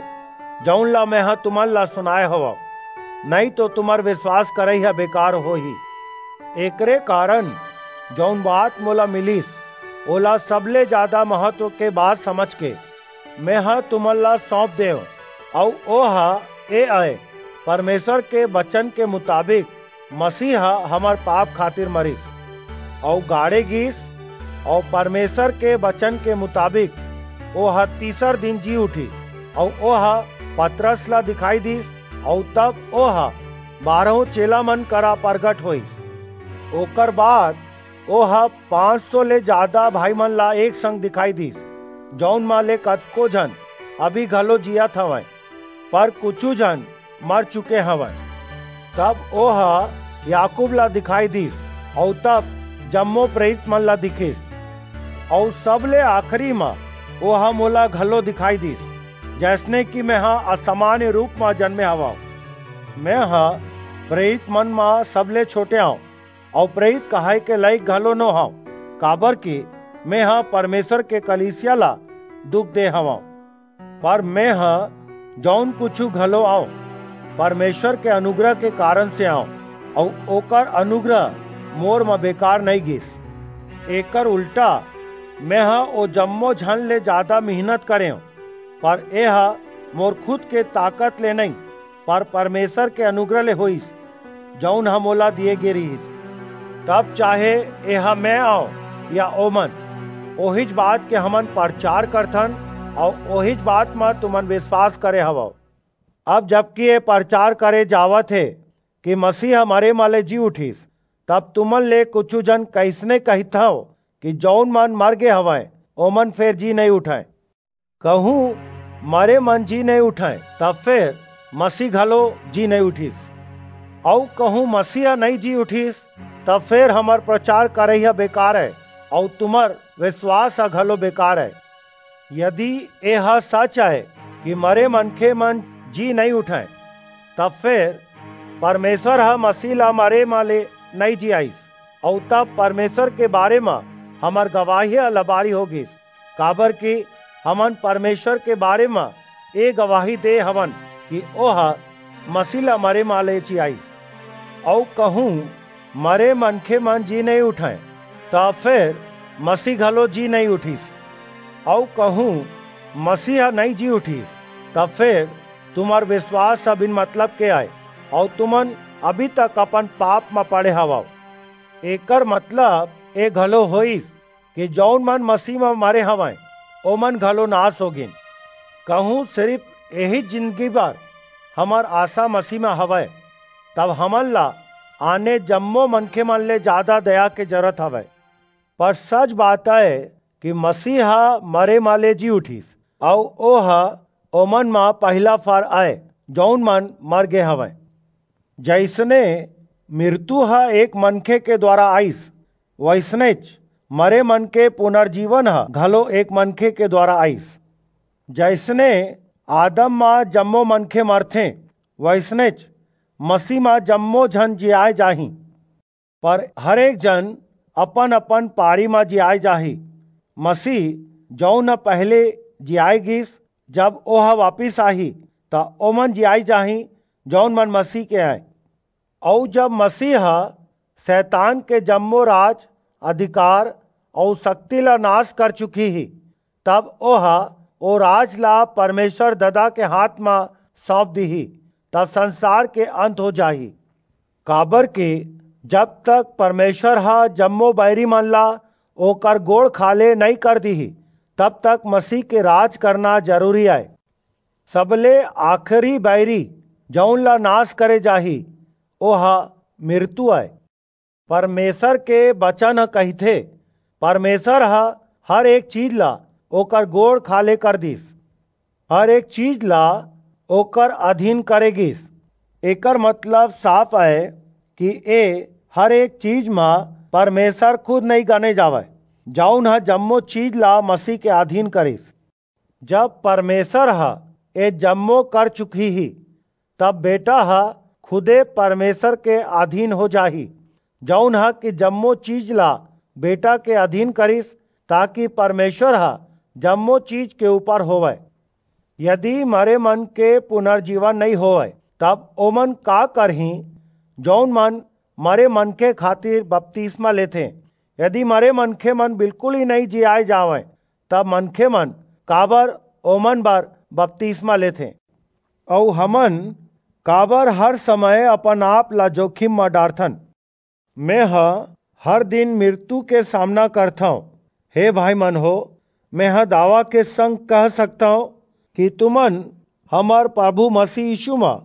जऊन ला मेंह तुमन ला सुनाय हवंव, नइं तो तुम्हर बिसवास करई ह बेकार होही। एकरे कारन जऊन बात मोला मिलिस, ओला सबले जादा महत्व के बात समझके मेंह तुमन ला सौंप देंव, अऊ ओह ए अय, परमेसर के बचन के मुताबिक मसीह ह हमर पाप खातिर मरिस, अऊ गाड़े गीस, अऊ परमेसर के बचन के मुताबिक ओह तीसर दिन जी उठिस, अऊ ओह पतरस ला दिखाई दीस, अऊ तब ओह बारहों चेला मन करा परगट होईस। ओकर बाद ओह पाँच सौ ले जादा भाईमन ला एक संग दिखाई दीस, जऊन म ले कतको झन अभी घलो जीयत हवंय, पर कुछू झन मर चुके हवंय। तब ओह याकूब ला दिखाई दीस, अऊ तब जम्मो प्रेरितमन ला दिखिस। अऊ सबले आखिरी म ओह मोला घलो दिखाई दीस, जइसने कि मेंह असामान्य रूप म जनमे हवंव। मेंह प्रेरितमन म सबले छोटे अंव, अऊ प्रेरित कहाय के लइक घलो नो हंव, काबरकि मेंह परमेसर के कलीसिया ला दुख दे हवंव। पर मेंह जऊन कुछू घलो अंव, परमेसर के अनुग्रह के कारन से अंव, अऊ ओकर अनुग्रह मोर म बेकार नइं गीस। एकर उल्टा, मेंह ओ जम्मो झन ले जादा मिहनत करेंव, पर एह मोर खुद के ताकत ले नइं, पर परमेसर के अनुग्रह ले होईस, जऊन ह मोला दिये गे रिहिस। तब चाहे एह मैं अंव या ओमन, ओहीच बात के हमन परचार करथन, अऊ ओहीच बात म तुमन बिसवास करे हवव। अब जबकि ए परचार करे जावत हे कि मसीह ह मरे म ले जी उठिस, तब तुमन ले कुछू झन कइसने कहिथव कि जऊन मन मर गे हवंय, ओमन फेर जी नइं उठंय। कहूं मरे मन जी नइं उठंय, तब फेर मसीह घलो जी नइं उठिस। अऊ कहूं मसीह ह नइं जी उठिस, तब फेर हमर परचार करई ह बेकार अय, अऊ तुमर बिसवास ह घलो बेकार अय। यदि एह सच अय कि मरे मनखे मन जी नइं उठंय, तब फेर परमेसर ह मसीह ला मरे म ले नइं जियाईस, अऊ तब परमेसर के बारे म हमर गवाही ह लबारी हो गीस, काबरकि हमन परमेसर के बारे म ए गवाही दे हवन कि ओह मसीह ला मरे म ले जियाईस। अऊ कहूं मरे मनखे मन जी नइं उठंय, त फेर मसीह घलो जी नइं उठिस। अऊ कहूं मसीह ह नइं जी उठिस, त फेर तुमर बिसवास ह बिन मतलब के अय, अऊ तुमन अभी तक अपन पाप म पड़े हवव। एकर मतलब ए घलो होईस कि जऊन मन मसीह म मरे हवंय, ओमन घलो नास हो गीन। कहूं सिरिप एही जिनगी बर हमर आसा मसीह म हवय, तब हमन ला आने जम्मो मनखे मन ले जादा दया के जरूरत हवय। पर सच बात अय कि मसीह ह मरे म ले जी उठिस, अऊ ओह ओमन म पहिला फर अय, जऊन मन मर गे हवंय। जइसने मृत्यु ह एक मनखे के दुवारा आईस, वइसनेच मरे मन के पुनर्जीवन ह घलो एक मनखे के दुवारा आईस। जइसने आदम म जम्मो मनखे मरथें, वइसनेच मसीह म जम्मो झन जियाय जाहीं। पर हर एक जन अपन-अपन पारी म जियाय जाही। मसीह, जऊन ह पहिली जियाय गीस, जब ओह वापिस आही, त ओमन जियाय जाहीं, जऊन मन मसीह के अंय। अऊ जब मसीह ह सैतान के जम्मो राज, अधिकार अऊ सक्ति ला नास कर चुकही, तब ओह ओ राज ला परमेसर ददा के हांथ म सऊंप दिही, तब संसार के अंत हो जाही। काबरकि जब तक परमेसर ह जम्मो बईरी मन ला ओकर गोड़ खाल्हे नइं कर दिही, तब तक मसीह के राज करना जरूरी अय। सबले आखिरी बईरी, जऊन ला नास करे जाही, ओह मृत्यु अय। परमेसर के बचन ह कहिथे, परमेसर ह हर एक चीज ला ओकर गोड़ खाल्हे कर दीस। हर एक चीज ला ओकर अधीन करे गीस। एकर मतलब साफ अय कि ए हर एक चीज म परमेसर खुद नइं गने जावय, जऊन ह जम्मो चीज ला मसीह के अधीन करिस। जब परमेसर ह ए जम्मो कर चुकही, तब बेटा ह खुदे परमेसर के अधीन हो जाही, जऊन ह कि जम्मो चीज ला बेटा के अधीन करिस, ताकि परमेसर ह जम्मो चीज के ऊपर होवय। यदि मरे मन के पुनर्जीवन नइं होवय, तब ओमन का करहीं, जऊन मन मरे मनखे खातिर बपतिस्मा लेथें? यदि मरे मनखे मन बिल्कुल ही नइं जियाय जावंय, तब मनखे मन काबर ओमन बर बपतिस्मा लेथें? अऊ हमन काबर हर समय अपन आप ला जोखिम म डारथन? मेंह हर दिन मृत्यु के सामना करथंव। हे भाई मन हो, मेंह दावा के संग कह सकथंव कि तुमन हमर प्रभु मसीह यीशु म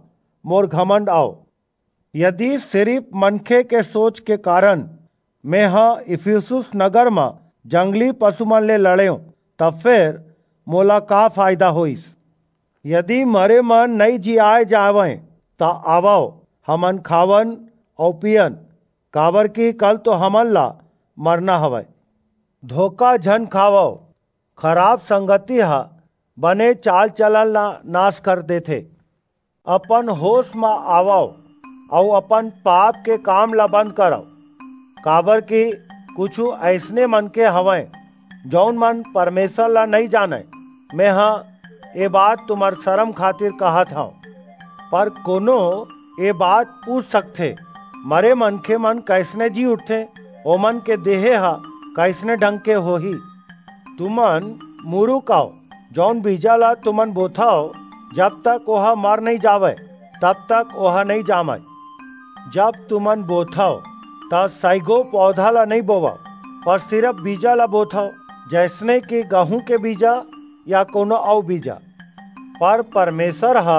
मोर घमंड अव। यदि सिरिफ मनखे के सोच के कारण मेंह इफिसुस नगर म जंगली पसु मन ले लड़ेंव, त फेर मोला का फायदा होईस? यदि मरे मन नइं जियाय जावंय, त आवव, हमन खावन अऊ पीयन, काबरकि कल तो हमन ला मरना हवय। धोखा झन खावव, खराप संगति ह बने चाल-चलन ला नास कर देथे। अपन होस म आवव अऊ अपन पाप के काम ला बंद करव, काबरकि कुछू अइसने मनखे हवंय, जऊन मन परमेसर ला नइं जानंय। मेंह ए बात तुम्हर सरम खातिर कहत हंव। पर कोनो ए बात पूछ सकथे, मरे मनखे मन कइसने जी उठथें? ओमन के देहे ह कइसने ढंग के होही? तुमन मुरुक अव, जऊन बीजा ला तुमन बोथव, जब तक ओह मर नइं जावय, तब तक ओह नइं जामय। जब तुमन बोथव, त सइघो पौधा ला नइं बोवव, पर सिरिप बीजा ला बोथव, जइसने कि गहूं के बीजा या कोनो अऊ बीजा। पर परमेसर ह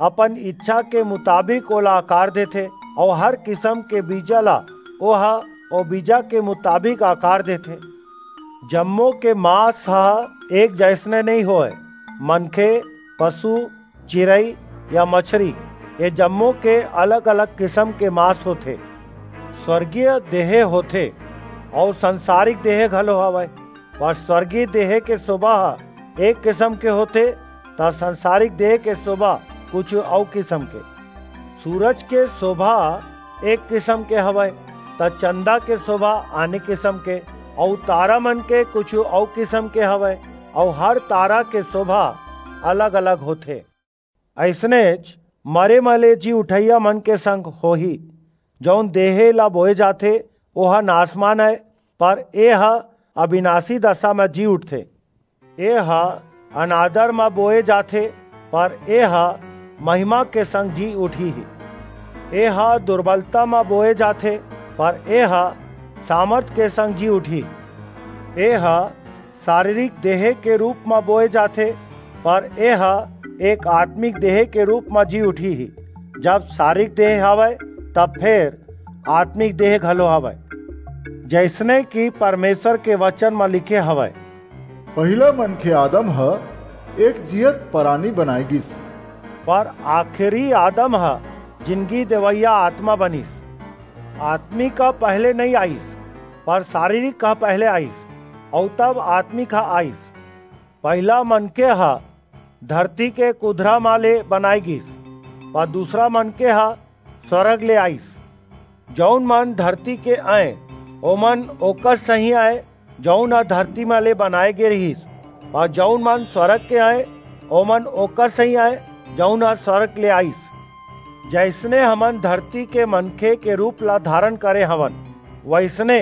अपन ईछा के मुताबिक ओला आकार देथे, अऊ हर किसम के बीजा ला ओह ओ बीजा के मुताबिक आकार देथे। जम्मो के मांस ह एक जइसने नइं होय। मनखे, पसु, चिरई या मछरी, ए जम्मो के अलग-अलग किसम के मांस होथे। स्वरगीय देहे होथे अऊ संसारिक देहे घलो हवय, पर स्वरगीय देहे के सोभा ह एक किसम के होथे, त संसारिक देहे के सोभा कुछू अऊ किसम के। सूरज के सोभा एक किसम के हवय, त चंदा के सोभा आने किसम के, अऊ तारा मन के कुछू अऊ किसम के हवय, अऊ हर तारा के सोभा अलग-अलग होथे। अइसनेच मरे म ले जी उठइया मन के संग होही। जऊन देहे ला बोए जाथे, ओह नासमान अय, पर एह अबिनासी दसा म जी उठथे। एह अनादर म बोए जाथे, पर एह महिमा के संग जी उठही। एह दुरबलता म बोए जाथे, पर एह सामरथ के संग जी उठही। एह सरीरिक देहे के रूप म बोए जाथे, पर एह एक आतमिक देहे के रूप म जी उठही। जब सरीरिक देहे हवय, तब फेर आतमिक देहे घलो हवय। जइसने कि परमेसर के बचन म लिखे हवय, पहिला मनखे आदम ह एक जीयत परानी बनाय गीस। पर आखिरी आदम ह जिनगी देवइया आतमा बनिस। आतमिक ह पहिली नइं आईस, पर सरीरिक ह पहिली आईस, अऊ तब आतमिक ह आईस। पहिला मनखे ह धरती के कुधरा म ले बनाय गीस, पर दूसरा मनखे ह स्वरग ले आईस। जऊन मन धरती के अंय, ओमन ओकर सहीं अंय, जऊन ह धरती म ले बनाय गे रिहिस, अऊ जऊन मन स्वरग के अंय, ओमन ओकर सहीं अंय, जऊन ह स्वरग ले आईस। जइसने हमन धरती के मनखे के रूप ला धारन करे हवन, वइसने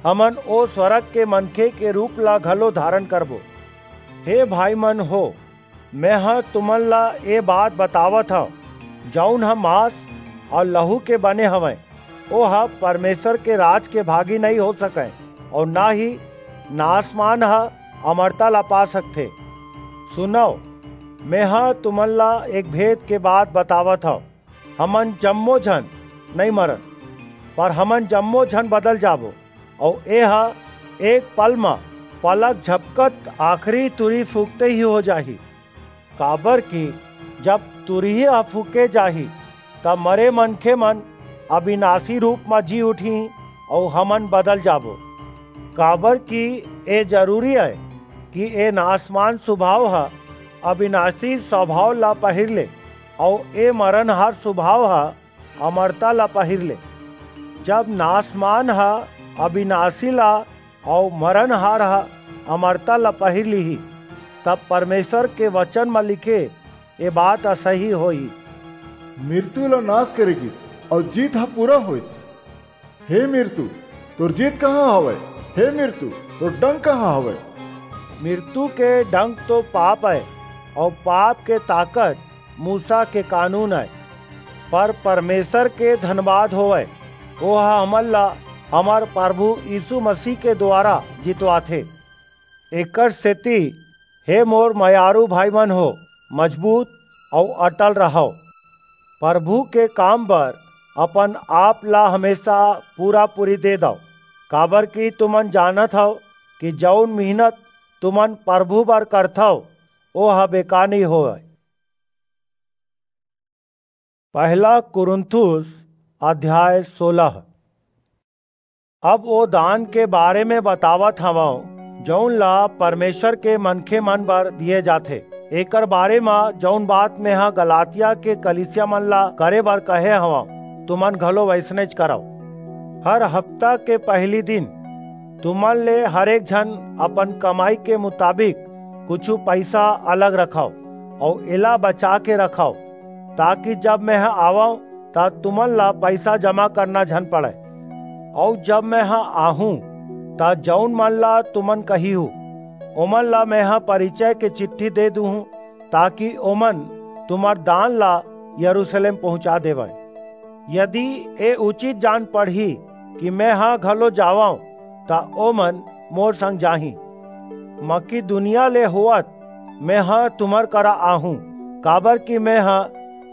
हमन ओ स्वरग के मनखे के रूप ला घलो धारन करबो। हे भाई मन हो, मेंह तुमन ला ए बात बतावत हंव, जऊन ह मांस अऊ लहू के बने हवय, ओह परमेसर के राज के भागी नइं हो सकय, अऊ ना ही नासमान ह अमरता ला पा सकथे। सुनव, मेंह तुमन ला एक भेद के बात बतावत हंव, हमन जम्मो झन नइं मरन, पर हमन जम्मो झन बदल जाबो, अऊ एह एक पल म पलक झपकत आखिरी तुरी फूंकते ही हो जाही। काबरकि जब तुरही ह फूंके जाही, त मरे मनखे मन अबिनासी रूप म जी उठहीं अऊ हमन बदल जाबो। काबरकि ए जरूरी अय कि ए नासमान सुभाव ह अबिनासी सुभाव ला पहिर ले, अऊ ए मरनहार सुभाव ह अमरता ला पहिर ले। जब नासमान ह अबिनासी ला अऊ मरनहार ह अमरता ला पहिर लिही, तब परमेसर के बचन म लिखे ए बात ह सही होही। मिरतू ला नास करे गीस, अऊ जीत ह पूरा होईस। हे मिरतू, तोर जीत कहां हवय? हे मिरतू, तोर डंक कहां हवय? मिरतू के डंक तो पाप अय, अऊ पाप के ताकत मूसा के कानून अय। पर परमेसर के धनबाद होवय, ओह हमन ला हमर परभू यीसू मसीह के दुवारा जितवाथे। एकरसेति, हे मोर मयारू भाईमन हो, मजबूत अऊ अटल रहव। परभू के काम बर अपन-आप ला हमेसा पूरा-पूरी दे दव, काबर कि तुमन जानत हव कि जऊन मिहनत तुमन परभू बर करथव, ओह बेकार नइं होवय। पहला कुरिन्थुस अध्याय सोलह। अब ओ दान के बारे म बतावत हवंव, जऊन ला परमेसर के मनखेमन बर दिये जाथे। एकर बारे म जऊन बात मेंह गलातिया के कलीसियामन ला करे बर कहे हवंव, तुमन घलो वइसनेच करव। हर हप्ता के पहिली दिन तुमन ले हरेक झन अपन कमई के मुताबिक कुछू पईसा अलग रखव अऊ एला बचा के रखव, ताकि जब मेंह आवंव, त तुमन ला पईसा जमा करना झन पड़य। अऊ जब मेंह आहूं, त जऊन मन ला तुमन कहिहू, ओमन ला मेंह परिचय के चिट्ठी दे दूहूं, ताकि ओमन तुम्हर दान ला यरूसलेम पहुंचा देवंय। यदि ए उचित जान पड़ही कि मेंह घलो जावंव, त ओमन मोर संग जाहीं। मकिदुनिया ले होवत मेंह तुम्हर करा आहूं, काबर कि मेंह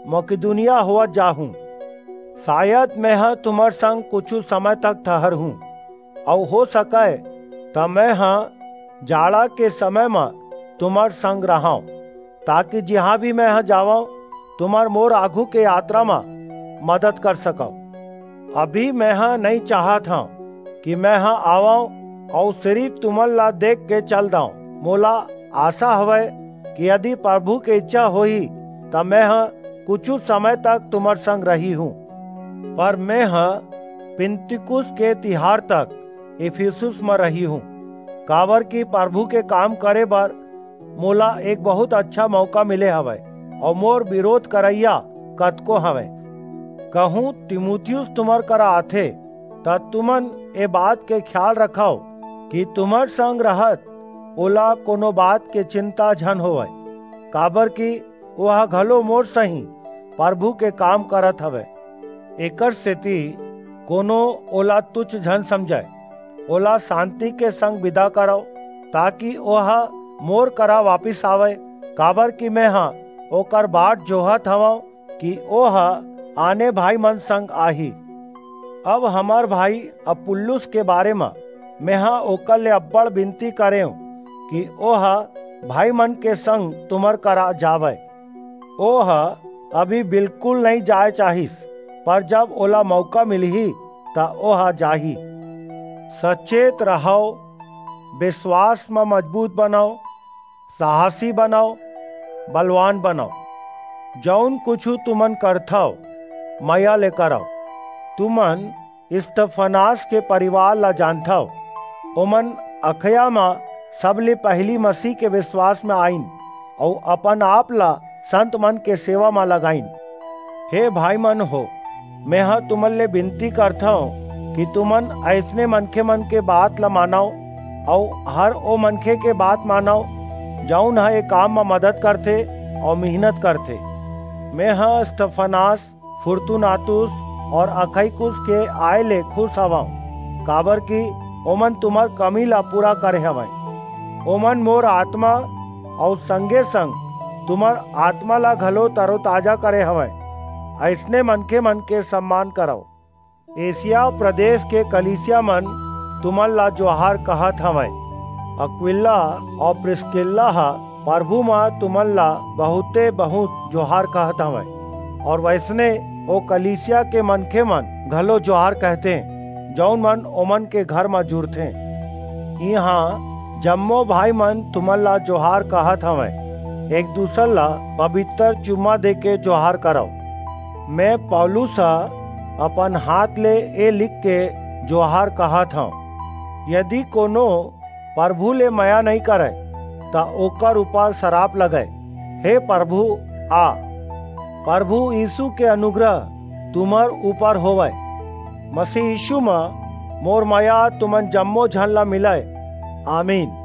मकिदुनिया होवत जाहूं। सायद मेंह तुम्हर संग कुछू समय तक ठहरहूं, अऊ हो सकय, त मेंह जाड़ा के समय म तुम्हर संग रहंव, ताकि जिहां भी मेंह जावंव, तुमन मोर आघू के यातरा म मदद कर सकव। अभी मेंह नइं चाहत हंव कि मेंह आवंव अऊ सिरिप तुमन ला देख के चल दंव। मोला आसा हवय कि यदि परभू के ईछा होही, त मेंह कुछू समय तक तुम्हर संग रहिहूं। पर मेंह पिन्तिकुस के तिहार तक इफिसुस म रहिहूं, काबर कि परभू के काम करे बर मोला एक बहुंत अच्छा मऊका मिले हवय, अऊ मोर बिरोध करइया कतको हवंय। कहूं तिमुथियुस तुम्हर करा आथे, त तुमन ए बात के खियाल रखव कि तुम्हर संग रहत ओला कोनो बात के चिंता झन होवय, काबर कि ओह घलो मोर सहीं परभू के काम करत हवय। एकरसेति कोनो ओला तुछ झन समझय। ओला सांति के संग बिदा करव, ताकि ओह मोर करा वापिस आवय, काबर कि मेंह ओकर बाट जोहत हवंव कि ओह आने भाईमन संग आही। अब हमर भाई अपुल्लुस के बारे म मेंह ओकर ले अब्बड़ बिनती करेंव कि ओह भाईमन के संग तुम्हर करा जावय। ओह अभी बिल्कुल नइं जाय चाहिस, पर जब ओला मऊका मिलही, त ओह जाही। सचेत रहव, बिसवास म मजबूत बनव, साहसी बनव, बलवान बनव। जऊन कुछू तुमन करथव, मया ले करव। तुमन स्तिफनास के परिवार ला जानथव। ओमन अखया म सबले पहिली मसीह के बिसवास म आईन अऊ अपन आप ला संतमन के सेवा म लगाईन। हे भाईमन हो, मेंह तुमन ले बिनती करथंव कि तुमन अइसने मनखेमन के बात ला मानव अऊ हर ओ मनखे के बात मानव, जऊन ह ए काम म मदद करथे अऊ मिहनत करथे। मेंह स्तिफनास, फुरतुनातुस अऊ अखईकुस के आय ले खुस हवंव, काबरकि ओमन तुम्हर कमी ला पूरा करे हवंय। ओमन मोर आतमा अऊ संगे-संग तुम्हर आतमा ला घलो तरोताजा करे हवंय। अइसने मनखेमन के सम्मान करव। एशिया प्रदेस के कलीसियामन तुमन ला जोहार कहत हवंय। अक्विला अऊ प्रिसकिल्ला ह परभू म तुमन ला बहुंते बहुंत जोहार कहत हवंय, अऊ वइसने ओ कलीसिया के मनखेमन घलो जोहार कहथें, जऊन मन ओमन के घर म जुरथें। इहां जम्मो भाईमन तुमन ला जोहार कहत हवंय। एक-दूसर ला पबितर चुम्मा देके जोहार करव। मैं पौलुस ह अपन हांथ ले ए लिखके जोहार कहत हंव। यदि कोनो परभू ले मया नइं करय, त ओकर ऊपर सराप लगय। हे परभू, आ। परभू यीसू के अनुग्रह तुम्हर ऊपर होवय। मसीह यीसू म मोर मया तुमन जम्मो झन ला मिलय। आमीन।